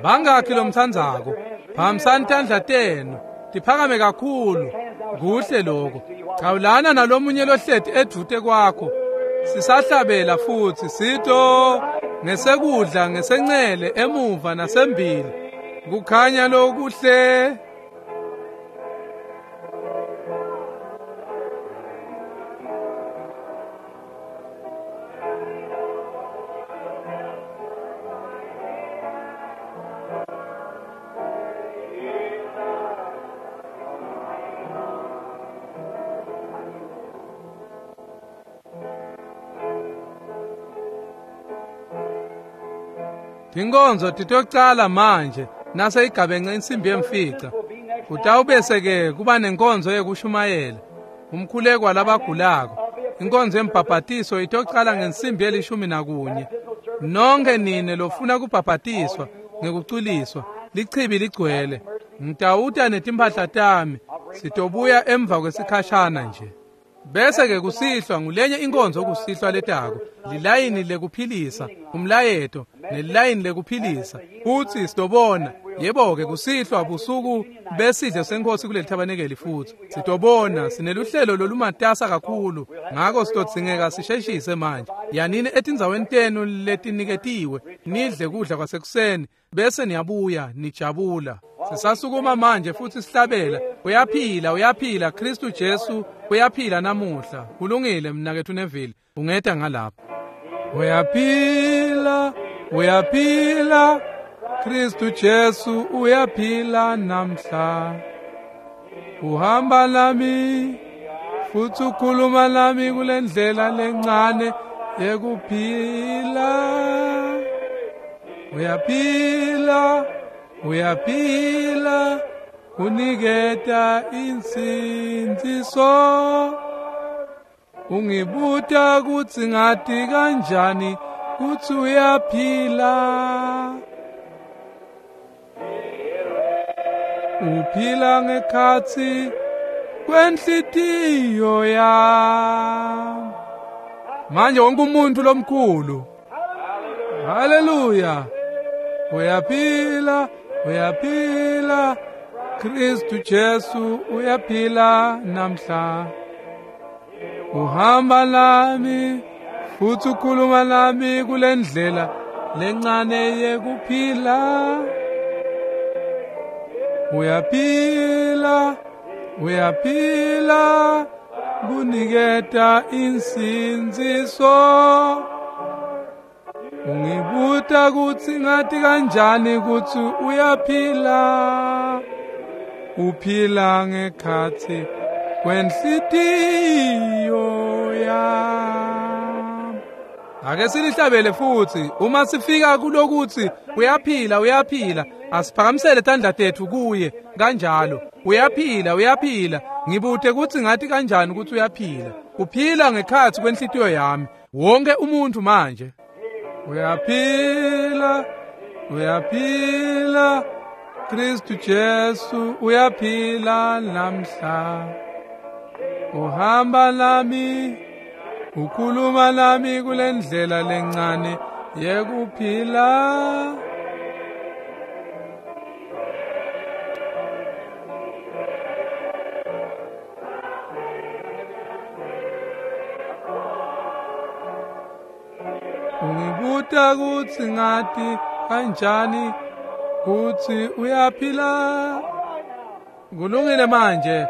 A: Bangakhi lomtsandzako? Phakamisani tandla tenu tiphakame kakhulu. Kuhle lokho. Chawulana nalomunye lohleti edvute kwakho. Sisahlabela futhi sito ngesekudla ngesencele emuva nasembili. Kukhanya lokuhle. Tinkonzo titocala manje naseyigabenxe insimbi yemfica. Kutawubese-ke kuba nenkonzo yekushumayela, umkhuleko walabagulako. Inkonzo yembhabhatiso itocala ngensimbi yelishumi nakunye. Nonke nine lofuna kubhabhatiswa ngekuculiswa, lichibi ligcwele. Ngitawuta netimphahla tami, sitobuya emva kwesikhashana nje. Bese-ke kusihlwa ngulenye inkonzo kusihlwa letako, lilayini lekuphilisa, umlayeto nelilayini lekuphilisa. Futsi sitobona, yebo-ke kusihlwa busuku besidlo senkosi kuleli thabanekeli futhi. Sitobona sineluhlelo lolumatasa kakhulu, ngako sitodzingeka sisheshise manje. Yanini etindzaweni tenu letiniketiwe, nidle kudla kwasekuseni, bese niyabuya nijabula. Sisasukuma manje futhi sihlabela. Uyaphila, uyaphila, Kristu Jesu uyaphila namuhla. Kulungile mnaketfu Neville, ungeta ngalapha. Uyaphila, uyaphila, Kristu Jesu uyaphila namhla. Uhamba nami futhi ukhuluma nami kule ndlela lencane yekuphila. Uyaphila, uyaphila, uniketa insindziso. Ungibuta kutsi ngati kanjani kutsi uyaphila. Uphila ngekhatsi kwenhlitiyo yami. Manje wonke umuntu lomkhulu. Haleluya. Uyaphila, uyaphila, Kristu Jesu uyaphila namhla. Uhamba nami futhi ukhuluma nami kule ndlela lencane yekuphila. Uyaphila, uyaphila, kuniketa insindziso. Ungibuta kutsi ngati kanjani kutsi uyaphila. Uphila ngekhatsi kwenhlitiyo yami. Ake silihlabele futhi uma sifika kulokuthi uyaphila, uyaphila, asiphakamisele tandla tetfu kuye kanjalo. Uyaphila, uyaphila. Ngibute kutsi ngati kanjani kutsi uyaphila. Uphila ngekhatsi kwenhlitiyo yami. Wonke umuntu manje. Uyaphila, uyaphila, Kristu Jesu uyaphila namhla. Uhamba nami, ukhuluma nami kule ndlela lencane yekuphila. Ungibuta kutsi ngati kanjani kutsi uyaphila. Kulungile manje.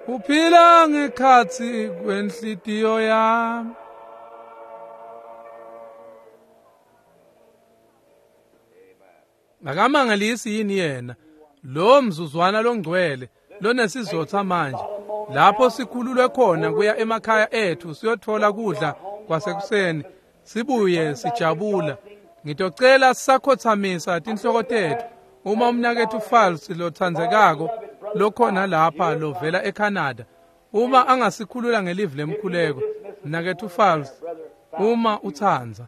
A: Uphila ngekhatsi kwenhlitiyo yami. Akamangalisi yini yena lo mzuzwana longcwele lonesizotha manje lapho sikhululwe khona kuya emakhaya ethu siyothola kudla kwasekuseni sibuye sijabula. Ngitocela sisakhothamisa tinhloko tetfu uma umnaketfu Fals lotsandzekako lokhona lapha lovela eCanada uma angasikhulula ngelivi lemkhuleko. Mnaketfu Fals, uma utsandza.